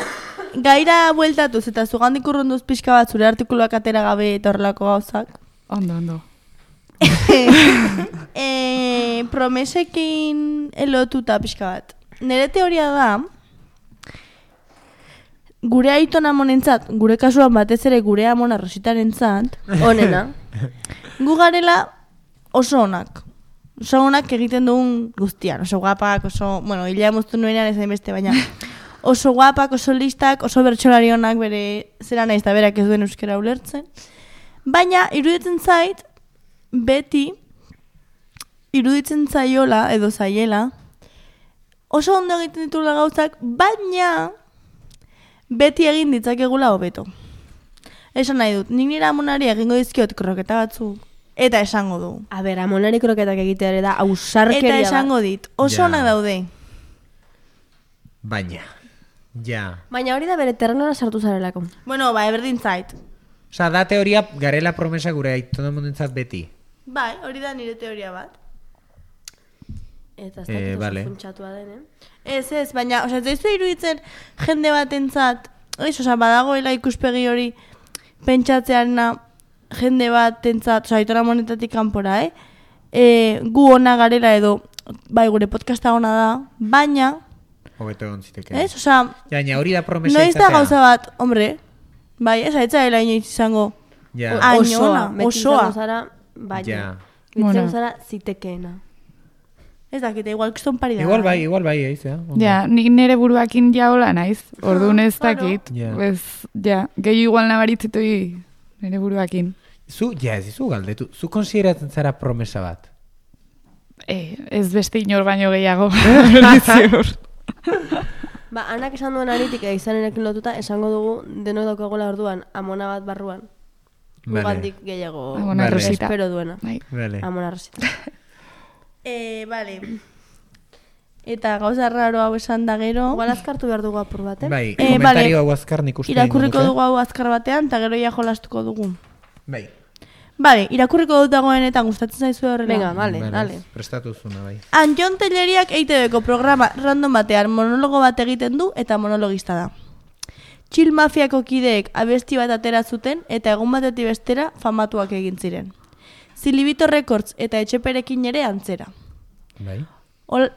F: gaira bueltatuz eta zugandik urrunduz pixka bat zure artikuluak atera gabe eta horrelako gauzak.
E: Ondo, ondo.
F: e, promesekin elotuta pixka bat. Nere teoria da, gure aiton amonentzat, gure kasuan batez ere gure amona Rositarentzat,
D: onena.
F: gu garela oso onak. Oso onak egiten dugun guztian, oso guapak, oso, bueno, hilea moztu nuenean ezain beste, baina oso guapak, oso listak, oso bertsolari onak bere zera naiz eta berak ez duen euskera ulertzen. Baina, iruditzen zait, beti, iruditzen zaiola, edo zaiela, oso ondo egiten ditula gauzak, baina beti egin ditzakegula hobeto. Esan nahi dut, nik nire amonari egingo dizkiot kroketa batzuk, eta esango du.
D: A ber, amonari kroketak egitea ere da, ausarkeria
F: Eta
D: da.
F: esango dit, oso
B: Ja.
F: onak daude.
B: Baina. Ja.
D: Baina hori da bere terrenora sartu zarelako.
F: Bueno, ba, eberdin zait.
B: Osa, da teoria garela promesa gure aitona monentzat beti.
F: Bai, hori da nire teoria bat.
D: Eta ez
B: Eh,
D: dakit oso
B: vale.
D: funtsatua den, eh?
F: Ez, ez, baina, osea, ez daizu iruditzen jende batentzat, ez, osea, badagoela ikuspegi hori pentsatzearena jende batentzat, osea, aitora monetatik kanpora, eh? E, gu ona garela edo, bai, gure podcasta ona da, baina,
B: Hobeto egon ziteke.
F: ez, osea,
B: Ja, baina hori da promesa
F: noiz da
B: izatea.
F: gauza bat, hombre, bai, ez, aitzaela inoiz izango,
B: Ja.
F: Ah,
D: Osoa,
F: Añona,
D: beti
F: osoa.
D: izango zara, baina.
B: Ja.
D: Beti
E: Bueno.
D: izango zara zitekeena.
F: ez dakite, igual kiston pari da.
B: Igual bai, igual bai, eiz, ja. ondo.
E: Ja, nik nire buruakin ja hola naiz. Orduan ez
F: claro.
E: dakit.
B: Ja.
E: Ez, ja, gehi igual nabaritzitoi nire buruakin.
B: Zu, ja, ez izu galdetu. Zu konsideratzen zara promesa bat?
E: Eh, ez beste inor baino gehiago. Ziur.
D: Ba, anak esan duen aritik izanerekin lotuta, esango dugu denok daukagola orduan amona bat barruan.
B: Vale.
D: Gugandik gehiago
E: Amona
B: Vale.
E: Rosita.
D: espero duena.
E: Bai.
B: Vale.
D: Amona Rosita.
F: Eh, vale. Eta gauza raro hau esan da gero,
D: Igual azkartu behar dugu apur bat, eh?
B: Bai,
F: Eh,
B: komentario
F: vale.
B: hau azkar nik uste
F: irakurriko
B: egingo
F: dugu hau azkar batean, eta gero ja jolastuko dugu.
B: Bai.
F: Vale, irakurriko dut dagoenetan gustatzen zaizu horrela.
D: Venga, vale, dale.
B: Prestatu zuna, bai.
F: Anjon Telleriak E I T Bko programa random batean monologo bat egiten du eta monologista da. Chill Mafiako kideek abesti bat atera zuten eta egun batetik bestera famatuak egin ziren. Zilibito Records eta Etxeperekin ere antzera.
B: Bai.
F: Ol...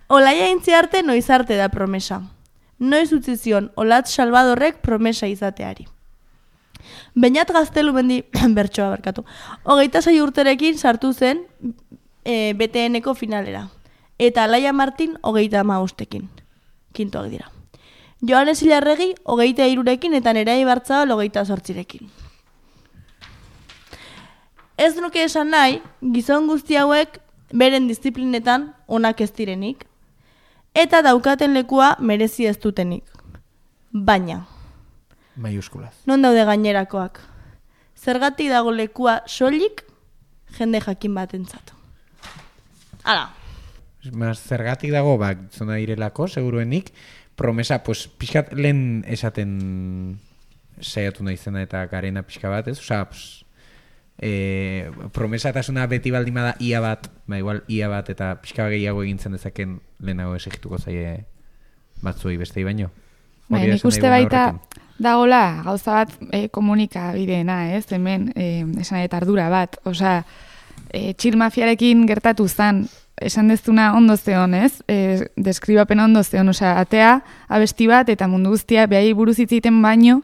F: Olaia intzi arte noiz arte da promesa. Noiz utzi zion Olatz Salvadorrek promesa izateari. Beñat Gaztelu mendi, bertsoa barkatu, hogeita sei urterekin sartu zen e, B T Nko finalera. Eta Alaia Martin hogeita hamabostekin. Kintoak dira. Joanes Ilarregi hogeita hirurekin eta Nerea Ibarzabal hogeita zortzirekin. Ez nuke esan nahi, gizon guzti hauek beren disiplinetan onak ez direnik, eta daukaten lekua merezi ez dutenik. Baina,
B: Maiuskulaz.
F: non daude gainerakoak? Zergatik dago lekua soilik jende jakin batentzat. Hala.
B: Mas, zergatik dago, ba, zona direlako, seguruenik, promesa, pues, pixkat lehen esaten saiatu naizena eta garena pixka bat, ez? Osa, pues, e, promesatasuna beti baldima da ia bat, ba, igual ia bat eta pixka gehiago egintzen dezaken lehenago esigituko zaie batzuei bestei baino.
E: Bai,
B: Hori da
E: nik
B: esan
E: uste
B: nahi
E: baita
B: horrekin.
E: dagola gauza bat e, komunikabideena, ez? Hemen, e, esan eta ardura bat. Osea, e, Chill Mafiarekin gertatu zan, esan dezuna ondo zeon, ez? E, deskribapena ondo zeon, osea, atea, abesti bat, eta mundu guztia behai buruz hitz egiten baino,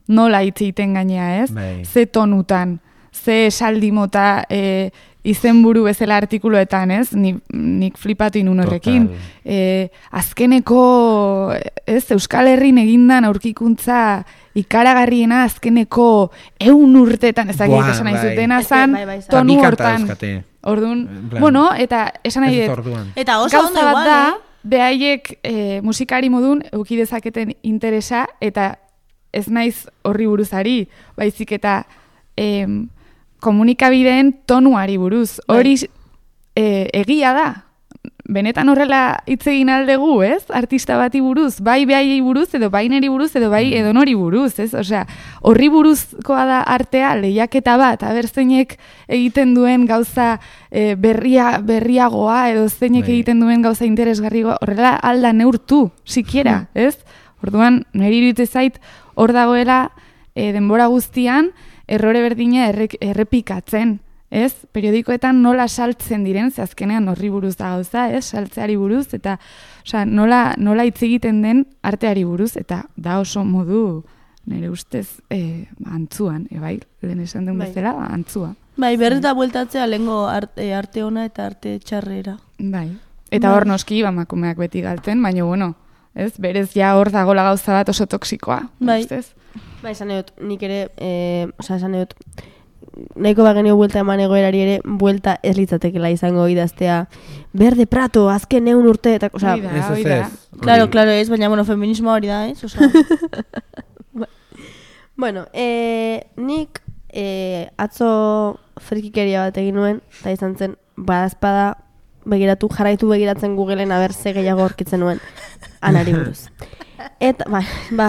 E: nola hitz egiten gainea, ez?
B: Bai.
E: Ze tonutan, ze esaldi mota e, izenburu bezala artikuluetan, ez? Ni, nik flipatu inun horrekin.
B: Total.
E: E, azkeneko, ez, Euskal Herrin egindan aurkikuntza ikaragarriena azkeneko eun urtetan, ezagik
B: Buah,
E: esan nahi
B: bai.
E: zutena
D: Ez que,
E: zan,
D: bai, bai, zan.
E: tonu
B: Bi kanta
E: hortan.
B: dauzkate.
E: Orduan,
B: plan,
E: bueno, eta esan nahi
B: Ez
E: dut,
B: orduan.
F: Eta oso ondo
E: gauza bat
F: igual,
E: da,
F: eh?
E: behaiek e, musikari modun euki dezaketen interesa, eta ez naiz horri buruzari, baizik eta em, komunikabideen tonuari buruz. Hori e, egia da. Benetan horrela hitz egin aldegu, ez? Artista bati buruz, bai behaiei buruz, edo bai neri buruz, edo bai edonori buruz, ez? Osea, horri buruzkoa da artea, lehiaketa bat, aber zeinek egiten duen gauza e, berria, berriagoa, edo zeinek
B: Bai.
E: egiten duen gauza interesgarrigoa, horrela alda neurtu, sikiera, ez? Orduan, niri iruditzen zait, hor dagoela e, denbora guztian, errore berdina errek, errepikatzen, ez? Periodikoetan nola saltzen diren, ze azkenean horri buruz da gauza, ez? Saltzeari buruz, eta osea, nola, nola hitz egiten den arteari buruz, eta da oso modu, nire ustez, e, antzuan, e, bai, lehen esan duen
F: Bai.
E: bezala, ba, antzua.
F: Bai, berriz da bueltatzea lehengo arte, arte ona eta arte txarrera.
E: Bai. Eta hor noski, bamakumeak beti galtzen, baina bueno, ez? Berez ja hor dagola gauza bat oso toksikoa,
F: Bai.
E: ustez?
D: Ba, esan edut, nik ere, e, oza, esan edut, nahiko bagenio buelta eman egoerari ere, buelta ez litzatekela izango idaztea, berde prato, azken eun urte, eta, oza,
E: Hoi da,
B: Ez,
E: hoi
B: ez,
E: da.
B: ez.
F: Claro,
B: Hori.
F: claro, ez, baina, bueno, feminismo hori da, ez? Osa,
D: bueno, e, nik e, atzo frikikeria bat egin nuen, eta izan zen, badazpada, begiratu, jarraitu begiratzen Googleen aber ze gehiago aurkitzen nuen anari buruz. Eta, ba, ba,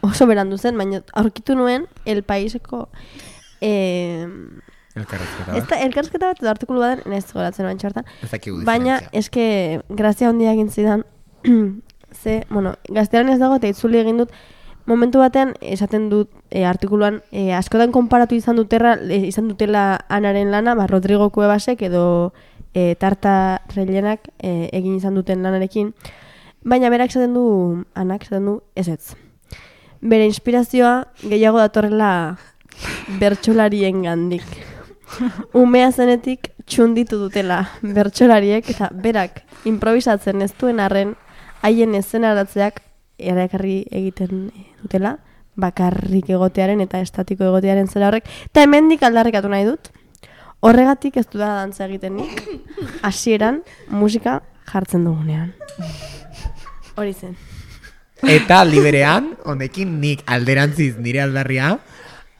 D: oso berandu zen, baina aurkitu nuen El Paiseko eh,
B: Elkarrezketa
D: ez
B: bat.
D: da, elkarrizketa bat edo artikulu baten, ez goratzen oan txartan,
B: Ez dakigu
D: baina
B: diferentzia.
D: eske grazia handia egin zidan, ze, bueno, gaztearen ez dago eta itzuli egin dut, momentu batean esaten dut e, artikuluan e, askotan konparatu izan duterra, e, izan dutela Anaren lana, ba, Rodrigo Cuevasek edo e, Tarta Rellenak e, egin izan duten lanarekin, baina berak esaten du, Anak esaten du, ez ez. Bere inspirazioa gehiago datorrela bertsolarien gandik. Umea zenetik txunditu dutela bertsolariek eta berak improvisatzen ez duen arren haien eszenaratzeak erakarri egiten dutela, bakarrik egotearen eta estatiko egotearen zera horrek, eta hemendik aldarrikatu nahi dut. Horregatik ez dudala dantza egiten nik, hasieran musika jartzen dugunean. Hori zen.
B: Eta liberean, honekin nik alderantziz nire aldarria,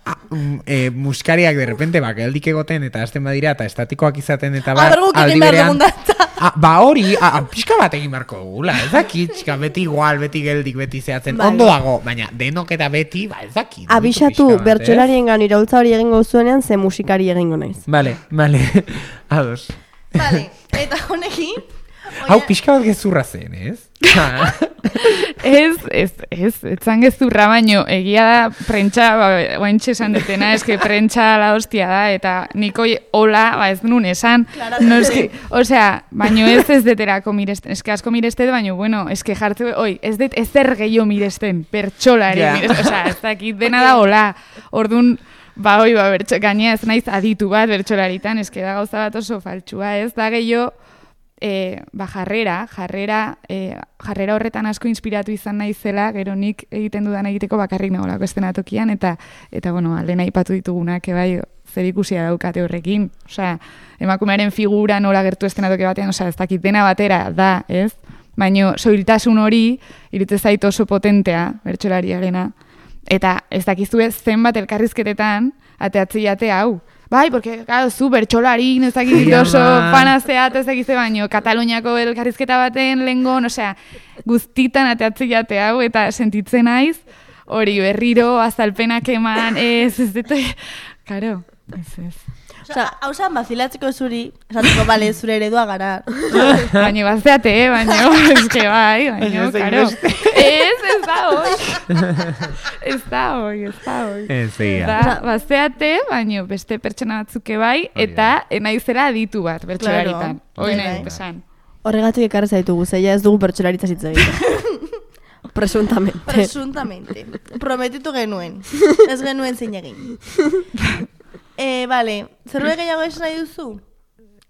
B: a, um, e, muskariak de repente bakeldik egoten eta hasten badira eta estatikoak izaten eta bar,
F: Aberguk egin behar dugun dantza.
B: a, ba hori, a, a, pixka bat egin beharko dugula, ez dakit, pixka, beti igual, beti geldik, beti zehatzen,
D: Bai.
B: ondo dago, baina denok eta beti, ba ez dakit.
D: Abisatu
B: pixka bat, ez?
D: bertsolarien gan iraultza hori egingo zuenean, ze musikari egingo naiz.
B: Vale, vale, ados.
F: Vale, eta honekin,
B: Hau pixka bat gezurra zen, ez?
E: Ez, ez, ez, etzan gezurra baino, egia da, prentsa, ba, oaintxe esan detena, eske prentsa la hostia da, eta niko hola, ba ez nun esan, no eski, osea, baino ez ez deterako miresten, eske asko mirestet, baino, bueno, eske jartze, oi, ez det ezer gehiago miresten, pertsolari
B: Ja.
E: miresten, osea, ez dakit, dena da hola, ordun, ba, oi, ba, bertso, gainea ez naiz aditu bat bertsolaritan, eske da gauza bat oso faltsua, ez da gehiago, E, ba, jarrera, jarrera, e, jarrera horretan asko inspiratu izan naizela, gero nik egiten dudan egiteko bakarrik nagolako estenatokian, eta, eta bueno, lehen aipatu ditugunak, bai, zer ikusia daukate horrekin. Osea, emakumearen figura nola gertu estenatoki batean, osea, ez dakit dena batera da, ez? Baina soiltasun hori, iruditzen zait oso potentea, bertsolariarena. Eta ez dakizue zenbat elkarrizketetan, ateatzi jate hau. Bai, porque, claro, zu bertsolari, ez dakit
B: Ja,
E: oso
B: man.
E: fanazeat, ez dakize baino, Kataluniako elkarrizketa baten lengon, osea, guztitan ateatzi jate hau, eta sentitzen naiz, hori berriro, azalpenak eman, ez, ez, ez, karo, ez, ez.
F: Osa, hau zan bazilatzeko zuri, esateko, bale, zure eredua gara.
E: Baina bazteate, eh, baina, eske bai, baina,
B: Baina ez da
E: karo.
B: inbeste.
E: Ez, ez da hoi. Ez da hoi, ez da hoi.
B: Ez, egia.
E: Da, bazteate, baina beste pertsona batzuke bai, eta enaizera aditu bat, bertsolaritan.
F: Claro,
E: Hoi
F: bai,
E: nahi,
F: bai.
E: esan.
D: Horregatik ekarri zaitugu, zeia ez dugu bertsolaritza hitz egiten. Presuntamente.
F: Presuntamente. Prometitu genuen. Ez genuen zein egin. E, vale, zerbait gehiago esan nahi duzu?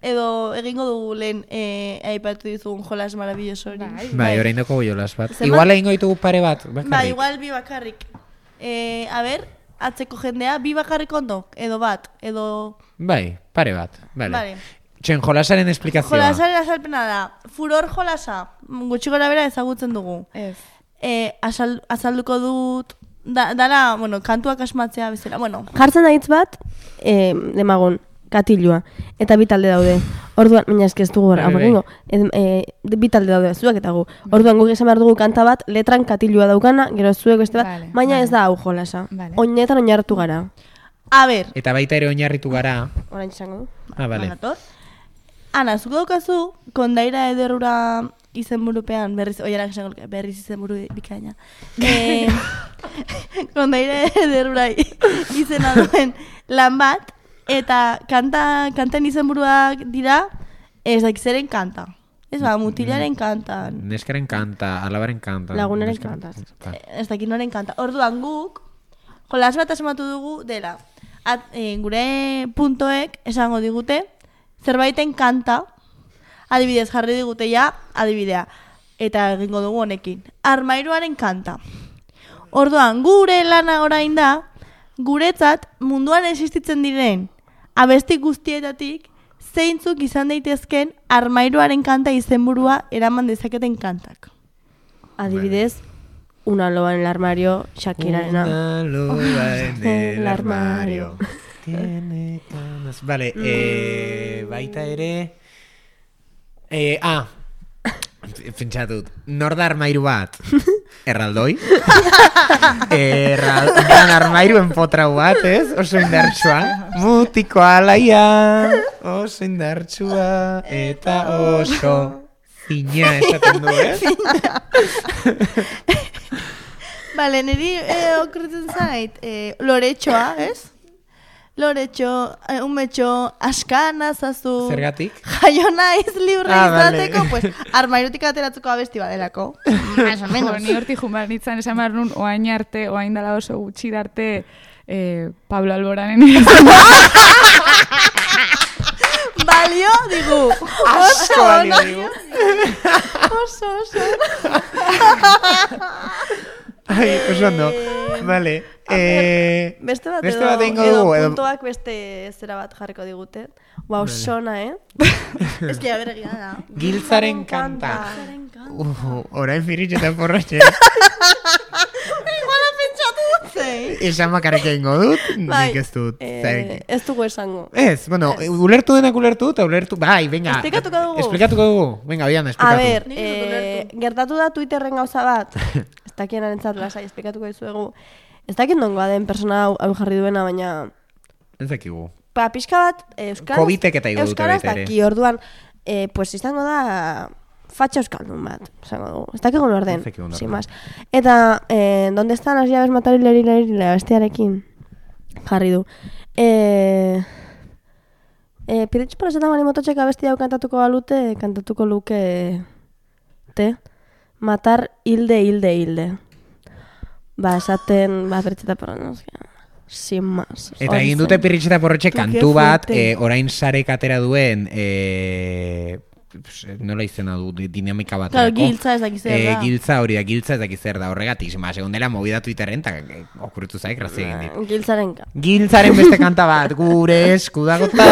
F: Edo egingo dugu lehen e, aipatu dizugun jolas maravilloso hori.
E: Bai.
B: Bai, orain doko jolas bat.
F: Zenbat-
B: Igual egingo ditugu pare bat, bakarrik.
F: Ba, igual bi bakarrik. E, a ber, atzeko jendea, bi bakarrik ondo, edo bat, edo...
B: Bai, pare bat, vale.
F: Vale.
B: Txen, jolasaren esplikazioa.
F: Jolasaren azalpena da. Furor jolasa, gutxi gora bera ezagutzen dugu.
E: Ez.
F: E, azal, azalduko dut, da, dara, bueno, kantuak asmatzea bezala, bueno.
D: Jartzen da hitz bat, e, demagun, katilua. Eta bi talde daude. Orduan, baina eski ez dugu gara,
B: Bai, bai.
D: amogingo. E, bi talde daude, zuek eta gu. Orduan, guk esan behar dugu kanta bat, letran katilua daukana, gero zuek beste bat,
E: Vale,
D: baina
E: vale.
D: ez da hau jolasa.
E: Vale.
D: Oinetan oinartu gara.
F: A ber,
B: Eta baita ere oinarritu gara.
D: Orain izango du.
B: Ah, bale.
F: Banator. Ana, zuk daukazu, kondaira ederura izenburupean, berriz, oiarak esango luke, berriz izenburu bikaina. E, kondaira ederura izena duen lan bat, eta kanta, kanten izenburuak dira, ez dakizeren kanta. Ez ba, mutilaren kanta.
B: Neskaren kanta, alabaren kanta.
D: Lagunaren
B: neskaren
D: kanta.
F: Ez dakit noren kanta. Orduan guk, jolas bat asmatu dugu dela. At, e, gure puntoek esango digute, zerbaiten kanta, adibidez jarri digute ja, adibidea. Eta egingo dugu honekin. Armairuaren kanta. Orduan, gure lana orain da, guretzat munduan existitzen diren abesti guztietatik, zeintzuk izan daitezken armairuaren kanta izenburua eraman dezaketen kantak.
D: Adibidez, una loba en el armario, Shakirarena.
B: Una loba en el
D: El
B: armario.
D: armario.
B: Tiene canas. Vale, eh, baita ere... Eh, ah, pentsatut, nor da armairu bat? Erraldoi? Erraldoan armairu enpotrau bat, ez? Oso indartsua. Mutiko alaia, oso indartsua, eta oso zina esaten du, ez?
F: Bale, niri eh, okurritzen zait, eh, loretxoa, ez? Loretxo, eh, umetxo, askana zazu.
B: Zergatik?
F: Jaio naiz libre
B: Ah, vale.
F: izateko, pues, armairutik ateratzeko abesti badelako. Más o
E: Jo,
F: menos.
E: ni hortik jumar nintzen esan behar nun, oain arte, oain dala oso gutxir arte, eh, Pablo Alboranen izan.
F: Balio, digu.
B: Asko balio digu.
F: Oso, oso.
B: Ai, oso ondo. Vale. Eh,
D: Beste bat,
B: beste
D: edo,
B: bat egingo
D: edo
B: dugu, edo-
D: puntoak beste zera bat jarriko digute. Wow, sona, eh?
F: Ez que haber egia da.
B: Giltzaren kanta. Uh, orain firitxe eta porratxe.
F: Iguala pentsatu dut zei.
B: Esan bakarrik egingo dut,
D: Bai,
B: nik ez dut.
D: eh,
B: zer-
D: ez dugu esango.
B: Ez, bueno, ulertu denak ulertu, eta ulertu, bai, venga.
D: Esplikatuko dugu.
B: Esplikatuko dugu, venga, bian,
D: A
B: esplikatu.
D: ber,
F: Nik ez dut
D: eh,
F: ulertu.
D: gertatu da Twitterren gauza bat. Ez dakien arentzat lasai, esplikatuko dizuegu. Ez dakit nongoa den persona hau, hau jarri duena, baina...
B: Ez dakigu.
D: Pa, pixka bat, eh, euskaraz...
B: Covidek eta igo dute
D: euskaraz
B: baita ere.
D: daki, orduan, eh, pues izango da... Fatxa euskaldun bat, esango dugu. Ez dakik nor den,
B: Ez dakigu nor
D: sin
B: den.
D: más. Eta, eh, donde están las llaves matar hileri hileri bestiarekin jarri du. Eh, eh, Piritx por esaten bali mototxek abesti hau kantatuko balute, kantatuko luke... Te? Matar hilde, hilde, hilde. Ba, esaten, ba, Piritxeta porra, no, sin más.
B: Eta
D: Hori
B: egin dute
D: zen.
B: pirritxe eta porretxe
D: Qué
B: kantu bat,
D: fuerte.
B: eh, orain sarek atera duen, eh, pues, nola izena du, di- dinamika bat.
F: Claro, giltza ez dakiz zer da.
B: Giltza hori da, giltza ez dakiz zer da, horregatik, zima, segun dela movida Twitterren, eta eh, okurritu zaik, grazia egin dit.
D: Giltzaren ka.
B: Giltzaren beste kanta bat, gure eskudagota,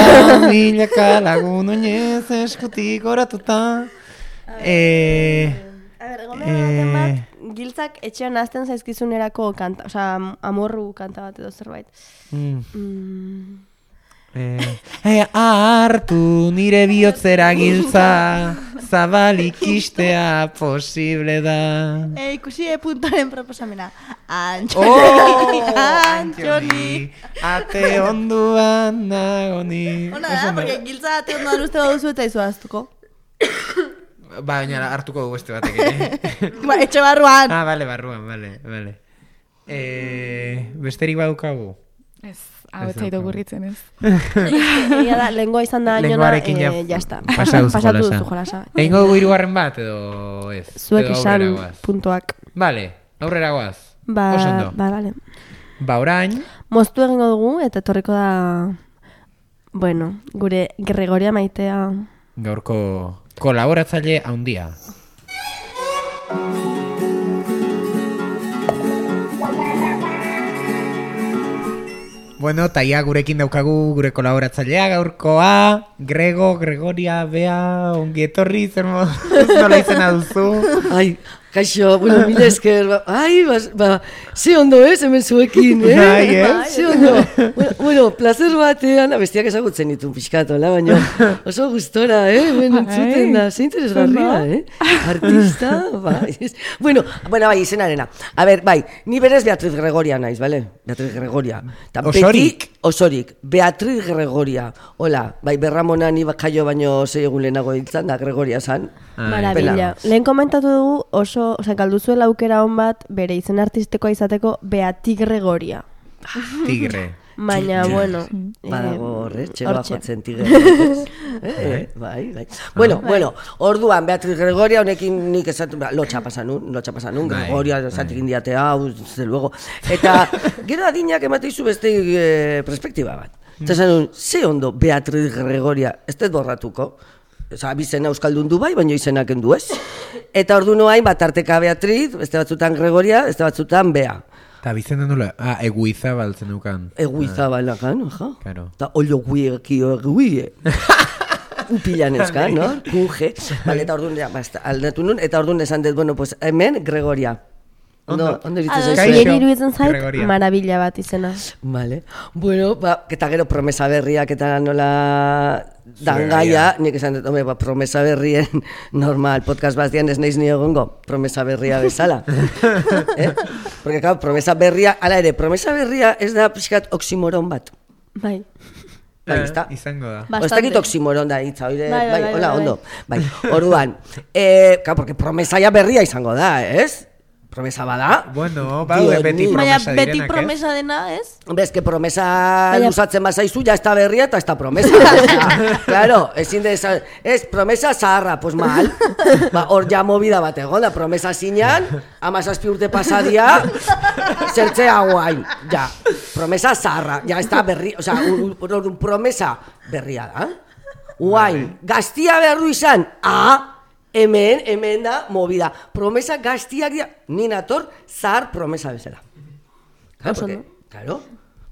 B: milaka lagun oinez eskutik oratuta. Eh,
D: A ber, egon behar baten
B: Eh.
D: bat, giltzak etxean azten zaizkizunerako kanta, osea, am- amorru kanta bat edo zerbait.
B: mm,
D: Mm,
B: eh, eh, hartu nire bihotzera giltza, zabalik istea posible da.
F: E, ikusi e puntoren proposamena. Antxoni,
B: Oh,
F: Antxoni.
B: ate onduan nagoni.
F: Ona
B: Oso
F: da,
B: ondo.
F: porque giltza ate ondoan uste baduzu eta izu aztuko.
B: Ba, baina hartuko dugu beste batek ere.
F: Ba, etxe barruan.
B: Ah, bale, barruan, bale, bale. Eh, besterik badukagu?
E: Ez, hau
B: Ez
E: ez zaitu
B: daukagu.
E: gurritzen ez.
D: Egia da, lengua izan da ainona,
B: Lenguarekin ja,
D: eh, jazta.
B: pasa duzu
D: Pasatu
B: jolasa.
D: duzu jolasa.
B: Egingo dugu hirugarren bat, edo ez?
D: Zuek
B: Edo
D: esan
B: aurrera goaz?
D: puntuak.
B: Bale, aurrera goaz.
D: Ba,
B: Oso ondo.
D: ba, bale.
B: Ba, orain,
D: Moztu egingo dugu, eta etorriko da, bueno, gure Gregoria Maitea.
B: gaurko kolaboratzaile handia. Bueno, taia gurekin daukagu gure kolaboratzailea gaurkoa, Grego, Gregoria, Bea, ongi etorri, zer nola izena duzu?
G: Ai, kaixo, bueno, mila esker, ba, ai, ba, ba, ze ondo ez, hemen zuekin, eh?
B: Bai, eh?
G: Ze ondo. Bueno, bueno, placer batean, bestiak ezagutzen ditun pixkatu, la, baina oso gustora, eh? Hemen entzuten da, ze interesgarria, eh? Artista, bai. Bueno, bueno, bai, izenarena. A ber, bai, ni berez Beatriz Gregoria naiz, bale? Beatriz Gregoria. Ta
B: Osorik?
G: Beti, osorik. Beatriz Gregoria. Hola, bai, Berramona ni jaio baino sei egun lehenago hiltzan da, Gregoria zan.
D: Marabila. Lehen komentatu dugu oso, oza, galduzuela aukera hon bat bere izen artistikoa izateko Beati Gregoria.
B: Tigre.
D: Baina, bueno.
G: Badago horre, txeloa
D: hortxe.
G: jotzen tigre. Eh, bai, bai. Bueno, bueno, orduan, Beatriz Gregoria, honekin nik esatu, lotxa pasan nun, lotxa pasan nun, Gregoria, esatik indiate hau, ze luego. Eta, gero adinak emateizu beste eh, perspektiba bat. Eta esan nun, ze ondo Beatriz Gregoria, ez dut borratuko. Osa, bizena euskaldun du bai, baina izenak endu ez. Eta ordu noain, bat arteka Beatriz, beste batzutan Gregoria, beste batzutan Bea.
B: Eta bizena nula, ah, eguiza baltzen dukan.
G: Eguiza balakan, ja.
B: Claro.
G: Eta olo guiekio eguie. Upilan eskan, no? Kunge. Vale, eta orduan, ja, basta, aldatu nun, eta orduan esan dut, bueno, pues hemen Gregoria. Ondo, ondo iritzen
D: Ados,
G: zaizu.
D: niri iruditzen zait,
B: Gregoria.
D: marabila bat izena.
G: Vale. Bueno, ba, eta gero promesa berriak eta nola dangaia, nik esan dut, hombre, ba, promesa berrien normal podcast batean ez naiz ni egongo, promesa berria bezala. eh? Porque, claro, promesa berria, ala ere, promesa berria ez da pixkat oximoron bat.
D: Bai.
G: Bai, ezta?
B: Izango da.
G: O, ez dakit oximoron da hitza, oire,
D: Bai, bai,
G: bai,
D: bai,
G: hola,
D: bai,
G: ondo. Bai, orduan, eh, claro, porque promesa ya berria izango da, ez? Promesa bada.
B: Bueno, baude
G: Dio,
B: beti
G: ni-
F: Baina
B: promesa
F: beti
B: direnak,
F: promesa dena, ez?
G: Bez, que promesa
D: Baina-
G: luzatzen bazaizu, ya está berria eta esta promesa. Osea, claro, ezin de esa, es promesa zaharra, pues mal. Ba, hor ja movida bat egon da, promesa zinan, amazazpi urte pasadia, zertzea guain, ja. Promesa zaharra, ja está berri, osea, un, un, un promesa berria da. Guain, gaztia behar du izan, ah, hemen, hemen da, movida. Promesa gaztiak dira, ni nator, zahar promesa bezala. Claro, porque, claro.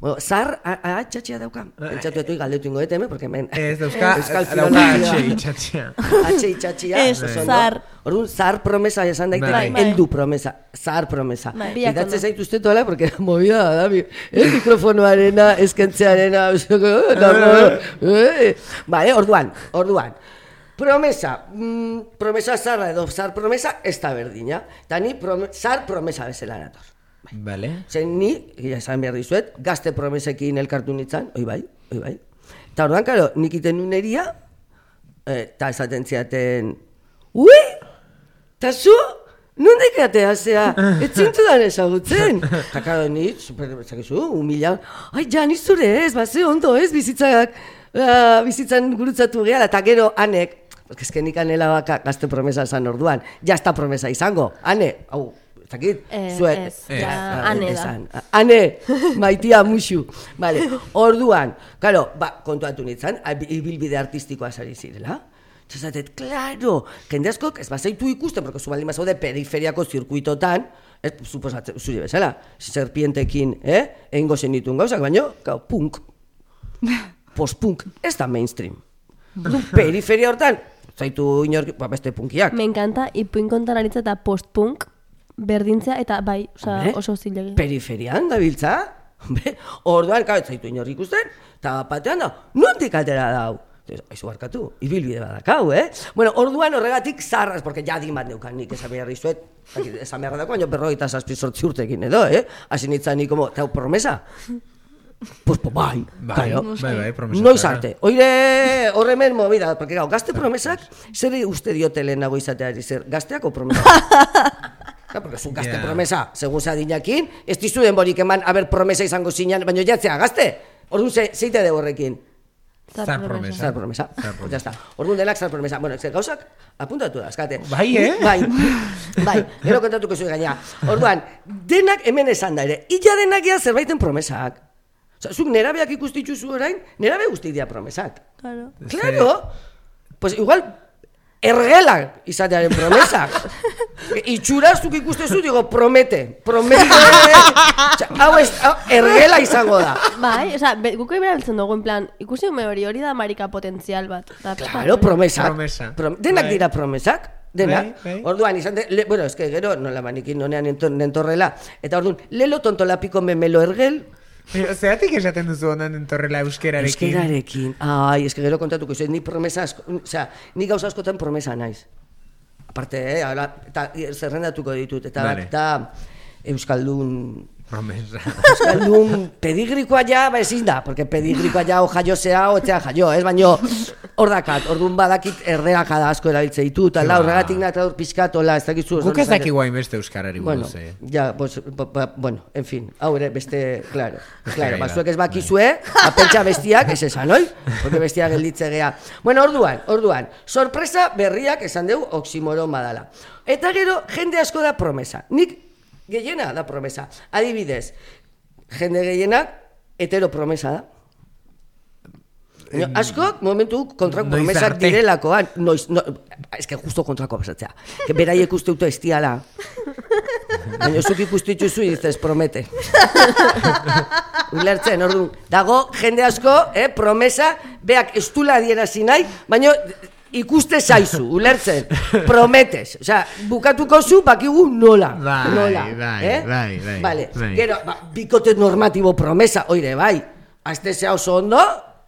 G: Bueno, zahar, ah, txatxia dauka. Pentsatu etu galdetu ingo dut hemen, porque hemen...
B: Ez dauzka,
G: Euskal
B: dauka
G: filologia.
B: atxe itxatxea.
G: Atxe itxatxia.
F: Ez,
G: oso ondo.
F: zahar.
G: Orduan, zahar promesa esan daiteke,
B: Bai.
F: Bai.
G: heldu promesa, zahar promesa.
F: Bai.
G: Idatze zaitu uste tola, porque movida da, mi, eh, mikrofonoarena, eskentzearena, eh, vale, orduan, orduan. Promesa, mm, promesa zarra edo zahar promesa, ez da berdina. Eta ni prome, zahar promesa bezala nator.
B: Vale.
G: Zen ni, ja esan behar dizuet, gazte promesekin elkartu nintzen, oi bai, oi bai. Eta orduan, karo, nik iten nuneria, eta esaten ziaten, ui, eta zu, nondik atea zea, ez zintudan ezagutzen. Eta karo, ni, super, ezakizu, humila, ai, ja, ni zure ez, ba, ze ondo ez, bizitzak, uh, bizitzan gurutzatu gehala, eta gero, anek, porque es que nik anela baka gazte promesa esan orduan, ja esta promesa izango, ane, hau, zakit,
D: Eh,
G: zuet,
D: ez, ja, ane da.
G: esan. Ane, maitia musu. Vale, orduan, claro, ba, kontuatu nintzen, ibilbide artistikoa sari zirela. Txasatet, claro, jende askok ez bazaitu ikusten, porque zu baldin bazaude periferiako zirkuitotan, ez, suposatzen, zure bezala, serpientekin, eh, egingo zen ditun gauzak, baina, gau, punk, post-punk, ez da mainstream. Periferia hortan, zaitu inorki, ba, beste punkiak.
D: Me encanta, ipuin kontan aritza eta post-punk berdintzea, eta bai, oza,
G: Hombre,
D: oso zilegi.
G: Periferian dabiltza, hombre, orduan, kau, ez zaitu inork ikusten, eta batean da, nondik atera dau? Aizu barkatu, ibilbide badakau, eh? Bueno, orduan horregatik zarraz, porque ja din bat neukan nik esan behar dizuet, esan behar dako, baina berrogeita zazpi sortzi urtekin edo, eh? Hasi nintzen ni como, tau promesa? Pues, pues bai,
B: Bai,
G: claro.
B: bai, bai, promesa.
G: Noiz arte. Oire horremen movida, porque gau, gazte promesak, zer uste diote lehenago izateari zer, gazteako promesa? Claro, porque zu gazte
B: Yeah.
G: promesa, segun zadinakin, ez dizu denborik eman, haber promesa izango zinan, baina jatzea, gazte? Orduan, ze, zeite de horrekin?
B: Zar promesa.
G: Zar promesa.
B: Zar promesa.
G: Ya está. Orduan denak zar promesa. Bueno, ez gauzak apuntatu da, eskate.
B: Bai, eh?
G: Bai, bai, gero kontatuko zuen gaina. Orduan, denak hemen esan da ere, illa denak ea zerbaiten promesak. Osa, zuk nerabeak ikustitzu zu orain, nerabe guzti dira promesak.
F: Claro.
G: Claro, pues igual, ergelak izatearen promesak. Itxuraztuk ikustezu, digo, promete, promete, hau ez, ergela izango da.
D: Bai, oza, guko iberabiltzen dugu, en plan, ikusi ume hori, hori da marika potentzial bat. Da,
G: Claro, promesak.
B: Promesa.
G: Prom denak
B: Bai.
G: dira promesak. Denak.
B: Bai, bai.
G: Orduan, izan de, le, bueno, eske gero, nola manikin nonean nentorrela. Eta orduan, lelo tontolapiko memelo ergel,
B: Zeratik esaten duzu honan entorrela euskerarekin?
G: euskerarekin. Ai, eske gero kontatuko, izan, ni promesa asko, osea, ni gauza askotan promesa naiz. Aparte, eh, ahora, eta zerrendatuko ditut, eta
B: Vale.
G: eta Euskaldun...
B: Promesa.
G: Euskaldun pedigrikoa ja, ba ezin da, porque pedigrikoa ja o jaio zea, o etzea jaio, ez, baino hor dakat, orduan badakit erdeakada asko erabiltze ditut, ala,
B: Ba.
G: horregatik natradur pizkatola, ez dakizu...
B: Guk ez dakigu hainbeste euskarari
G: Bueno,
B: buruz, eh?
G: ja, pues, ba, ba, bueno, en fin, hau ere, beste, claro, claro,
B: gai da.
G: bazuek ez bakizue, apentsa bestiak, ez esan, oi? Porque bestiak gelditze gea. Bueno, orduan, orduan, sorpresa berriak esan dugu oximoron badala. Eta gero, jende asko da promesa. Nik gehiena da promesa. Adibidez, jende gehienak hetero promesa da. No, askok momentu kontrako
B: Noiz
G: promesak
B: arte.
G: direlakoan, noiz, no, eske justo kontrako pasatzea. Que beraiek uste dute estiala. Baina zuk ikustu dituzu dices promete. Ulertzen, orduan, dago jende asko, eh, promesa, beak estula adierazi nahi, baina ikuste zaizu, ulertzen, prometes. Osea, bukatuko zu, bakigu nola.
B: Bai,
G: nola,
B: bai,
G: eh?
B: bai, bai,
G: Vale,
B: bai.
G: gero, ba, bikote normatibo promesa, oire, bai, aztezea oso ondo,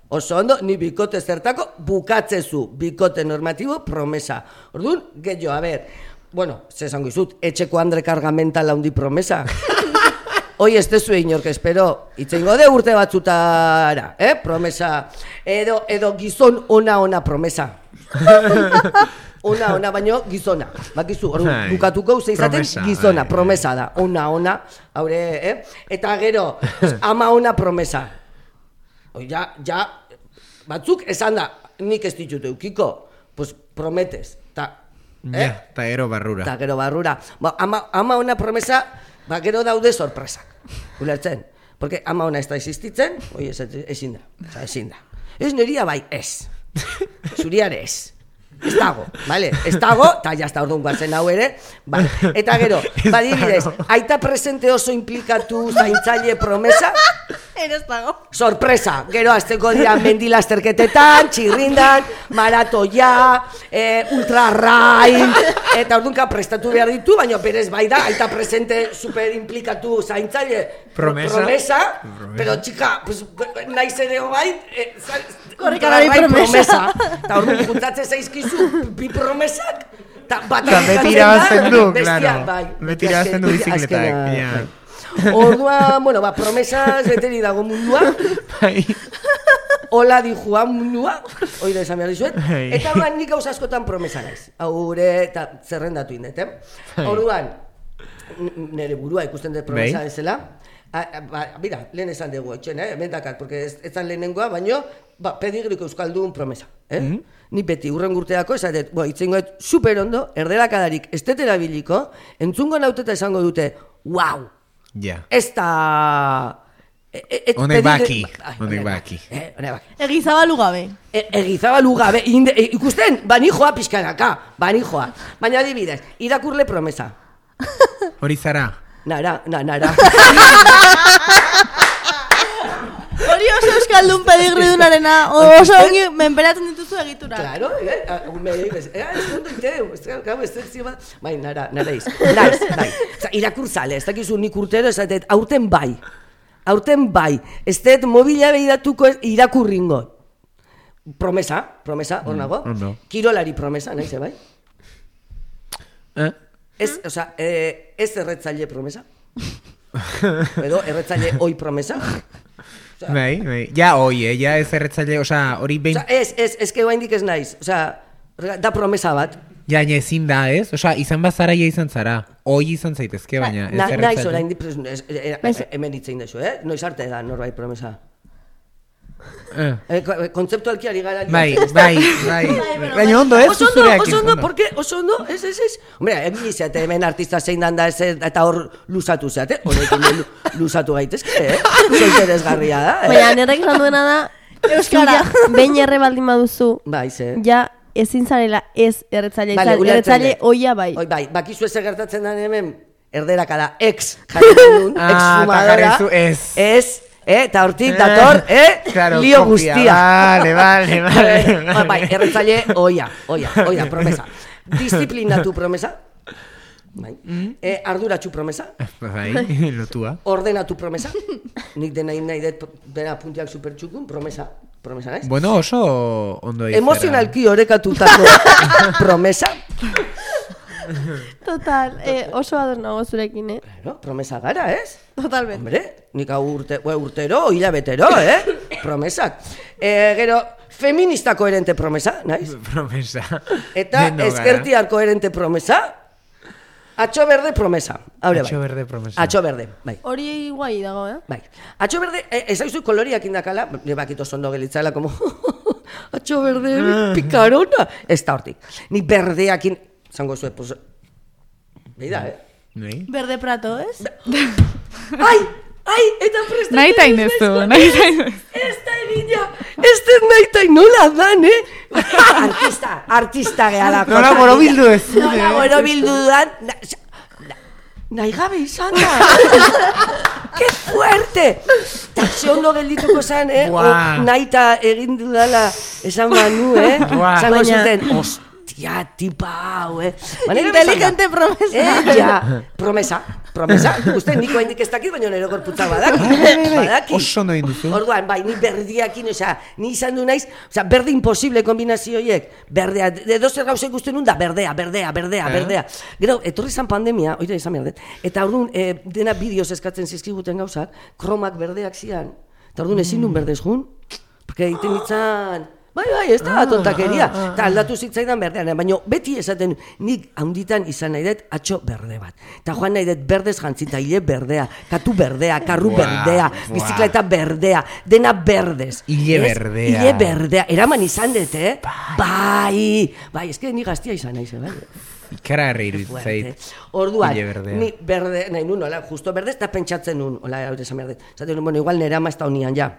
G: oso ondo, ni bikote zertako bukatzezu, bikote normatibo promesa. Orduan, gehiago, a ber, bueno, zesango izut, etxeko Andre Kargamenta laundi promesa. Hoi ez dezu inork espero, itzengo de urte batzutara, eh? Promesa, edo, edo gizon ona-ona promesa. Ona, ona, baino gizona. Bakizu, ordu,
B: Bai.
G: bukatuko ze izaten
B: Promesa,
G: gizona,
B: bai,
G: promesa da. Ona, ona, haure, eh? Eta gero, ama ona promesa. Oi, ja, ja, batzuk esan da, nik ez ditut eukiko, pues prometes. Ta, eh?
B: Ja, eta ero barrura.
G: Eta gero barrura. Ba, ama, ama ona promesa, ba, gero daude sorpresak. Ulertzen? Porque ama ona ez da existitzen, oi, ez, ezin da. Osa, ezin da. Ez neria bai, ez. Zuriare ez. Ez dago, vale? Ez dago, eta jazta orduan guatzen hau ere, vale. Eta gero, badibidez, aita presente oso implikatu zaintzaile promesa,
F: Eres dago.
G: sorpresa, gero azteko dira mendilasterketetan, txirrindan, maratoia, e, ultrarrain, eta orduanka prestatu behar ditu, baina berez bai da, aita presente super implikatu zaintzaile
B: Promesa.
G: promesa,
B: Promesa.
G: pero txika, pues, naiz ere bai, e,
F: Korrikalari promesa.
G: eta orduan juntatze zaizkizu bi promesak, eta bat
B: Eta beti
G: agertzen
B: irabazten
G: da,
B: du,
G: bestia,
B: claro.
G: bai,
B: Beti irabazten du
G: azken-
B: bizikletak,
G: azkena,
B: ja.
G: bai. Orduan, bueno, ba, promesas beteri dago mundua,
B: Bai.
G: hola di Juan mundua, hori da esan behar dizuet,
B: Bai.
G: eta orduan nik gauza askotan promesa naiz, haure eta zerrendatu indet, eh?
B: Bai.
G: Orduan, n- nire burua ikusten dut promesa
B: Bai.
G: bezala, a, a, ba, mira, lehen esan dugu etxen, eh? Hemen dakat, porque ez, ez zan lehenengoa, baino, ba, pedigriko euskaldun promesa, eh?
B: Mhm.
G: Ni beti urren urteako esatet, bo, itzengoet super ondo, erdelakadarik ez dut erabiliko, entzungo nauteta esango dute, wow,
B: Ja.
G: ez da... e- e- et-
B: Honek
G: pedigri-
B: baki,
G: Ai,
B: honek baki.
G: Eh, honek baki.
F: Egizabalu gabe.
G: E, egizabalu gabe, inde, e, ikusten, banijoa pixkanaka, banijoa. Baina adibidez, irakurle promesa.
B: Hori zara.
G: Nara, na, nara.
F: Hori oso euskaldun pedigridunarena, oso ongi menperatzen dituzu egitura.
G: Claro, eh, ah, me dices, eh, ez dut iteu, ez gau, ez dut zima, bai, nara, nara iz, naiz, bai. Oza, irakurzale, ez dakizu nik urtero, ez dut, aurten bai, aurten bai, ez dut mobila behiratuko irakurringo. Promesa, promesa, hor nago,
B: ondo.
G: kirolari promesa, naiz, bai?
B: Eh?
G: Ez, oza, eh, ez erretzaile promesa, edo erretzaile oi promesa.
B: Bai, bai. Ja, hoi, eh? Ja ez erretzaile, osea, hori behin...
G: Oza, ez, ez, ez que oraindik ez naiz, oza, da promesa bat.
B: Ja, ja, ezin da, ez? Osea, izan bazara, ja izan zara. Hoi izan zaitezke, baina ez
G: Na, naiz
B: erretzaile.
G: oraindik, pres- ez- e- e- hemen hitzein dezu, eh? Noiz arte da norbait promesa.
B: Eh.
G: Eh, ko- kontzeptualki ari gara.
B: Bai, bai, bai. Baina ondo, ez?
G: Oso ondo,
B: Zureakin,
G: oso ondo,
B: ondo.
G: porque oso ondo, ez, ez, ez. Hombre, egin izate hemen artista zein dan da, ez, eta hor luzatu zeate, horrekin lu- luzatu gaitezke, eh? Zoiteresgarria da, eh?
D: Baina, nerek esan duena da, euskara, behin erre baldin baduzu,
G: Bai, ze.
D: ja, ezin zarela ez erretzaile
G: Vale,
D: izan,
G: ulertzen
D: erretzaile
G: dut.
D: oia bai.
G: Oi, bai, bakizu ez gertatzen da hemen, erderaka da, ex, jartzen duen,
B: Ah,
G: ex
B: eta
G: fumadora.
B: jarri zu ez.
G: Ez, eh, eta hortik dator, eh,
B: Claro,
G: lio
B: kopia.
G: guztia.
B: Vale, vale, vale.
G: Ba, bai, erretzaile, oia, oia, oia, promesa. Disiplinatu promesa. Bai. Eh, arduratsu promesa.
B: Bai, lotua.
G: Ordenatu promesa. Nik dena nahi dut dena puntiak supertxukun, promesa. Promesa naiz.
B: Bueno, oso ondo izera.
G: Emozionalki orekatutako promesa.
D: Total, eh, oso ados nago zurekin, eh?
G: Claro, promesa gara, ez?
D: Totalmente.
G: Hombre, nik hau urte, ue, urtero, hilabetero, eh? Promesak. Eh, gero, feminista koherente promesa, naiz?
B: Promesa.
G: Eta
B: Deno gara.
G: ezkertiar koherente promesa. Atxo berde promesa. Haure bai.
B: Atxo berde promesa.
G: Atxo berde, bai.
D: Hori guai dago, eh?
G: Bai. Atxo berde, eh, ez haizu koloriak indakala, ne bakito zondo gelitzala, como, atxo berde, picarona. Ez da hortik. Ni berdeakin, zango zuen, pues, beida, eh?
B: Nei?
F: Berde prato, ez?
G: Ai, ai, eta prestatzen.
E: Nahi ta inezu, nahi ta inezu.
G: Ez da egina, ez da nahi ta nola dan, eh? Artista, artista gehala.
B: Nola borobildu ez.
G: Nola borobildu dan. na- na- Nahi gabe izan da. ¡Qué fuerte! Ta ze ondo geldituko zan, eh?
B: Buah.
G: O, nahi ta egin dudala esan banu, eh?
B: Buah.
G: Zango
D: Baina-
G: zuten, ostia, tipa hau, eh? Baina
F: Inteligente promesa.
G: Eh, ja, promesa, promesa. Uste, niko hendik ez dakit, baina nero gorputzak badaki. badaki.
B: Oso ondo egin duzu.
G: Orduan, bai, ni berdiakin, osea, ni izan du naiz, osea, berde imposible kombinazio horiek, berdea, edo zer gauza ikusten nun da, berdea, berdea, berdea,
B: Eh?
G: berdea. Gero, etorri zan pandemia, oira izan behar dut, eta orduan, eh, dena bideoz eskatzen zizkiguten gauzak, kromak berdeak zian, eta orduan ezin nun berdez jun, porque egiten ditzan, bai, bai, ez da, tontakeria, eta aldatu zitzaidan berdean, baina beti esaten, nik handitan izan nahi dut atxo berde bat, eta joan nahi dut berdez jantzita, hile berdea, katu berdea, karru
B: Buah,
G: berdea,
B: buah.
G: bizikleta berdea, dena berdez.
B: Hile
G: Ez?
B: berdea.
G: Hile berdea, eraman izan dut, eh? Bai, bai, eske ni gaztia izan naiz, bai.
B: Ikara herri
G: Fuerte.
B: iruditzait.
G: Orduan,
B: Hile berdea.
G: ni berde, nahi nun, hola, justo berde, eta pentsatzen nun, hola, hau esan behar dut. Zaten nun, bueno, igual nera ama ez da honian, ja.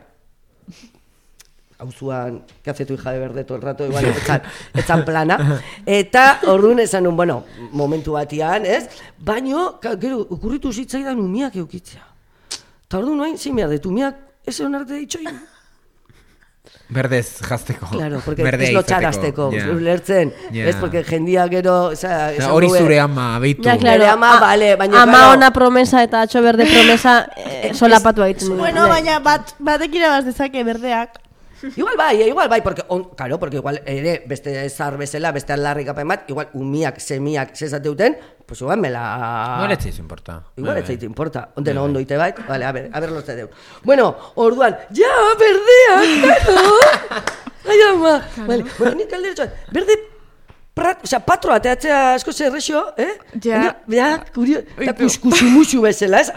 G: Hauzuan, que hace tu hija de verde todo el rato, igual, etzan, etzan plana. Eta orduan esan nun, bueno, momentu batian, ez? Baino, ka- gero, okurritu zitzaidan umiak eukitzea. Eta orduan noain, zein behar dut, umiak ez egon arte ditxoin.
B: Berdez jazteko.
G: Claro, porque
B: Berdea
G: ez lotxarazteko,
B: izateko. Ja.
G: ulertzen,
B: Ja.
G: ez, porque jendia gero, oza,
B: Eta Hori zure ama, beitu.
D: Ja, claro,
G: Nere ama,
D: a-
G: bale, baina,
D: ama
G: claro.
D: ona promesa eta atxo berde promesa eh, solapatu egiten du.
F: Bueno, baina bat, batek irabaz dezake berdeak.
G: Igual bai, eh, igual bai, porque, on, claro, porque igual ere, beste zar bezala, beste aldarrikapen bat, igual umiak, semiak, zezateuten, pues igual me la...
B: No le etzaiz importa.
G: Igual
B: Bai,
G: ez
B: bai.
G: zait importa, onden ondo ite bait, vale, a ver, a ver los te deu. Bueno, orduan, ja, berdea, claro! Ai, ama, vale, bueno, nik aldera berde, prat, o sea, patro ateatzea asko zerrexo, eh?
E: Ja.
G: Ja, kurio, eta
E: Oitu.
G: kuskusumuxu bezala, ez?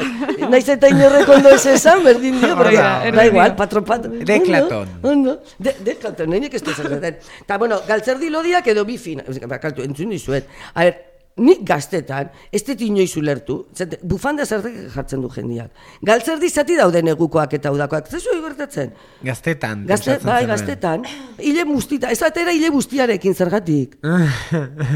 G: Naiz eta inorrek ondo ez esan, berdin dio, porque,
E: Hori da,
G: da
E: erdi
G: igual,
E: dio.
G: patro, patro.
B: Deklaton.
G: Ondo, ondo. De, deklaton, nahi nik ez dut zerretan. Eta, bueno, galtzerdi lodiak edo bifin, bakaltu, entzun dizuet. A ver, nik gaztetan, ez dut inoiz ulertu, zate, bufanda zertek jartzen du jendiak. Galtzerdi zati daude negukoak eta udakoak, zezu gertatzen?
B: Gaztetan.
G: Gazte,
B: pentsatzen
G: bai,
B: zenuen.
G: gaztetan, hile mustita, ez atera hile bustiarekin zergatik.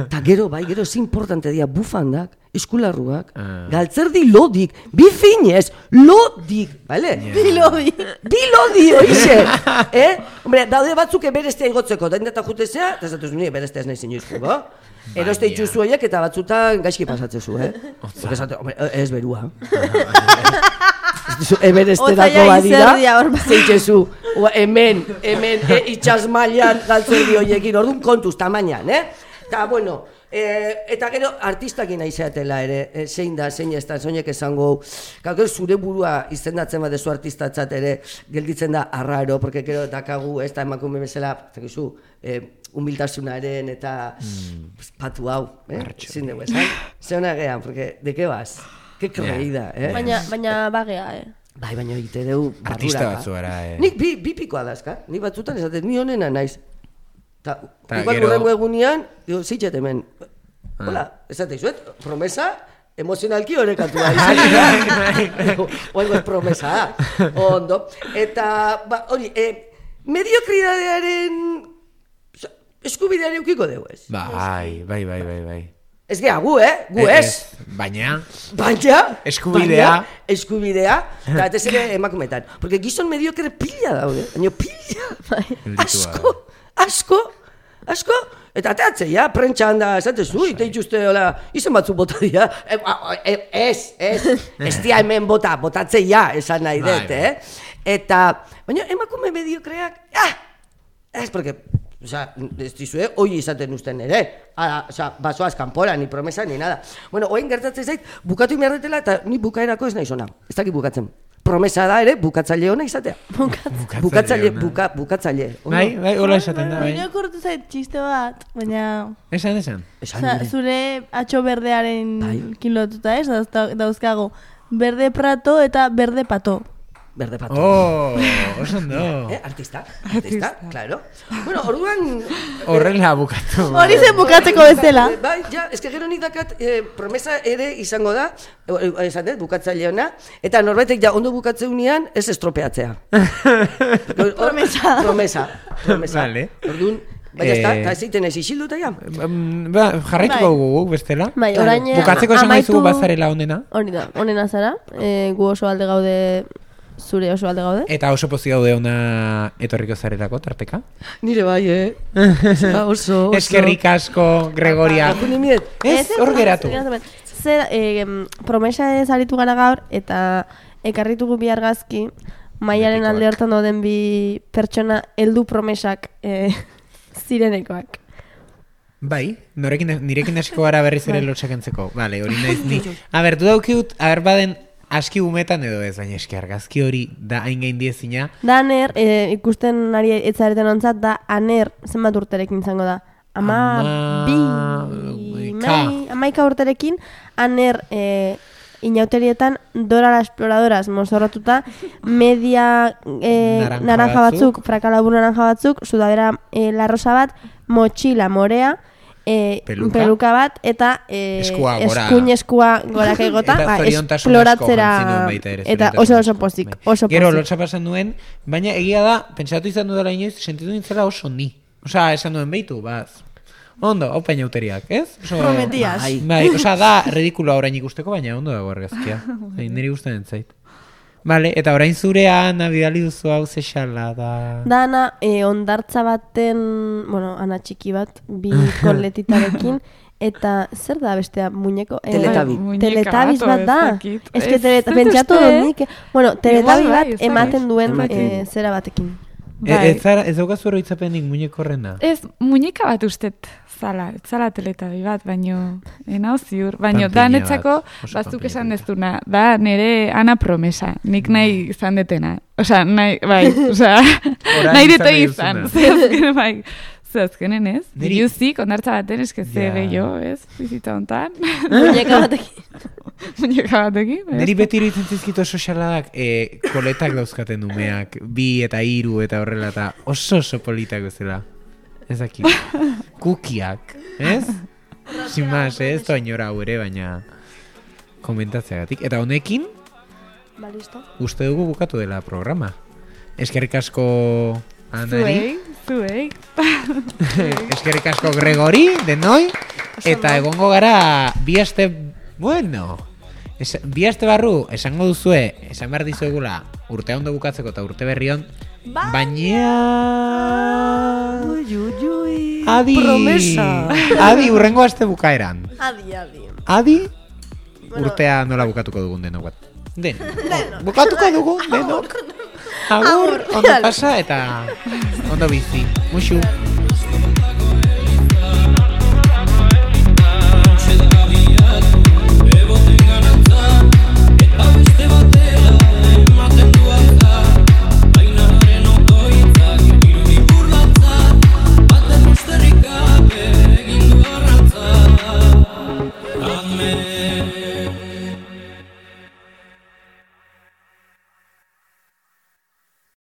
G: Ta gero, bai, gero, ez importante dira bufandak, eskularruak,
B: Ah.
G: galtzerdi lodik, bifinez, lodik, bale?
F: Bilodi.
G: Bilodi, oixe, eh? Hombre, daude batzuk eberestea igotzeko, da indeta jutezea, eta zatuz nire eberestea ez nahi zinuzko, ba? Eroste
B: Baina.
G: itxuzu horiek eta batzutan gaizki pasatzezu, eh? Porque esate, hombre, ez berua. Eberesterako
D: Otzaia
G: badira,
D: izerdia hor bai.
G: zeitxezu, ua, hemen, hemen, e, itxas mailan galtzerdi horiekin, orduan kontuz, tamainan, eh? Eta, bueno, e, eta gero artistakin aizeatela ere, e, zein da, zein ez da, zoinek esango, gero zure burua izendatzen badezu artistatzat ere, gelditzen da arraro, porque gero dakagu, ez da emakume bezala, zakizu, e, humiltasunaren eta mm. patu hau, eh? Zin dugu esan, zeona gehan, porque, de que vas? Que creída, eh?
D: Baina, baina bagea, eh.
G: Bai, baina egite deu
B: Artista
G: barruraka.
B: batzu gara, eh.
G: Nik bi, bi pikoa dazka, nik batzutan esaten, ni honena naiz. Ta,
B: Ta
G: igual
B: gero-
G: urrengo egunean, digo, zeitxet hemen. Hola, esate izuet, promesa, emozionalki horrekatua izan. Oengo ez promesa, ondo. Eta, ba, hori, eh, mediokridadearen eskubidea eukiko dugu ez.
B: Bai, bai, bai, bai, bai.
G: Ez gea, gu, eh? Gu ez.
B: Baina...
G: Baina...
B: Eskubidea.
G: Baina, eskubidea. Eta ez ere emakumetan. Porque gizon mediokre pila daude. Baina pila. Asko, asko, asko. Eta ateatzea, prentsa handa, esatezu, ite itxuste, hola, izen batzu bota dira. Ez, ez, ez dia hemen bota, botatzea, esan nahi dut, eh? Eta, baina emakume mediokreak, ah! Ez, porque... Osa, ez dizue, hoi izaten usten ere. Ara, osa, basoaz kanpora, ni promesa, ni nada. Bueno, oain gertatzen zait, bukatu inberretela eta ni bukaerako ez nahi zona. Ez dakit bukatzen. Promesa da ere, bukatzaile hona izatea. Bukatzaile, buka, bukatzaile.
B: Bai, bai, hola esaten da, bai.
F: Baina kortu zait txiste bat, baina...
B: Esan, esan.
F: Osa, zure atxo berdearen kilotuta ez, dauzkago. Berde prato eta berde pato.
G: Berde pato.
B: Oh, oso ondo.
G: Eh, artista, artista, claro. Bueno, orduan...
B: Horrela bukatu.
F: Hori zen bukatzeko bezala.
G: Bai, ja, eske gero nik dakat, eh, promesa ere izango da, esan dut, bukatzaile hona, eta norbaitek ja ondo bukatzeunean ez estropeatzea.
F: Promesa.
G: Promesa, promesa.
B: Vale.
G: Orduan, baina ez da, eta ez ziten ez isilduta ja.
B: Ba, jarraituko gugu, bestela.
D: Bai, orain...
B: Bukatzeko esan gaizu bazarela onena.
D: Hori da, onena zara. E, gu oso alde gaude, zure oso alde gaude.
B: Eta oso pozik gaude ona etorriko zarelako, tarteka.
G: Nire bai, eh? Oso, oso.
B: Eskerrik asko, Gregoria. Ez, hor geratu.
D: Zer, e, promesa ez aritu gara gaur, eta ekarritugu bi argazki, Maiaren alde hortan dauden bi pertsona heldu promesak e, zirenekoak.
B: Bai, norekin, nirekin hasiko gara berriz ere lotxakentzeko. Vale, hori naiz ni. A ber, du daukiut, a ber baden aski umetan edo ez, baina eski argazki hori da hain gain diezina.
D: Da aner, e, ikusten ari etzareten ontzat, da aner zenbat urterekin izango da. Ama, bi, mai, amaika urterekin, aner e, inauterietan Dora la Exploradoras mozorratuta, media e, naranja, naranja batzuk, batzuk frakalabur naranja batzuk, sudadera e, larrosa bat, motxila morea, E, peluka. peluka bat eta e,
B: eskua gora.
D: eskuin eskua gorak egota ba, esploratzera eta oso oso pozik, oso pozik.
B: Gero lotxa pasan duen, baina egia da, pentsatu izan dudala inoiz, sentitu nintzela oso ni. Osa, esan duen behitu, baz. Ondo, hau paina uteriak, ez? Oso,
F: prometias.
B: Bai, osa da, redikulo orain ikusteko, baina ondo dago argazkia. Niri gustatzen entzait. Vale, eta orain zurea Ana bidali duzu hau zexala da...
D: Da Ana, e, ondartza baten, bueno, Ana txiki bat, bi koletitarekin, eta zer da bestea muñeko? E,
G: Teletabi.
D: Teletabiz bat da. Ez que teleta, pentsatu dut, bueno, teletabi bat ematen duen e, zera batekin.
B: Ez ez daukazu oroitzapenik muñeko horrena?
E: Ez, muñeka bat ustet zala, zala teletabi bat, baino, enau ziur, baino, da netzako, batzuk esan dezuna, da nere Ana promesa, nik nahi izan detena. Osa, nahi, bai, osa, nahi dete izan, zehazkenen, bai, zehazkenen ez, biluzik, ondartza baten, eske ze bello, ez, bizita hontan.
D: Muñeka batekin.
E: Muñeka batekin, ez.
B: Neri beti iruditzen zizkito sozialadak, e, koletak dauzkaten umeak, bi eta hiru eta horrela, eta oso oso politak bezala. Ez dakit. Kukiak, ez? Sin más, ez? Toa inora hau ere, baina komentatzeagatik. Eta honekin,
D: ba, listo.
B: Uste dugu bukatu dela programa. Eskerrik asko Anari.
E: Zuei, zuei.
B: Eskerrik asko Gregori, denoi. Eta egongo gara bi aste, bueno, es, bi aste barru esango duzue, esan behar dizuegula urtea ondo bukatzeko eta urte berrion, baina...
F: Ui, ui, ui.
B: Adi.
G: Promesa.
B: Adi, urrengo aste bukaeran.
F: Adi, adi.
B: Adi, bueno, urtea nola bukatuko dugun denok bat. Den. Bukatuko dugun denok. Agur, ondo pasa eta ondo bizi. Muxu.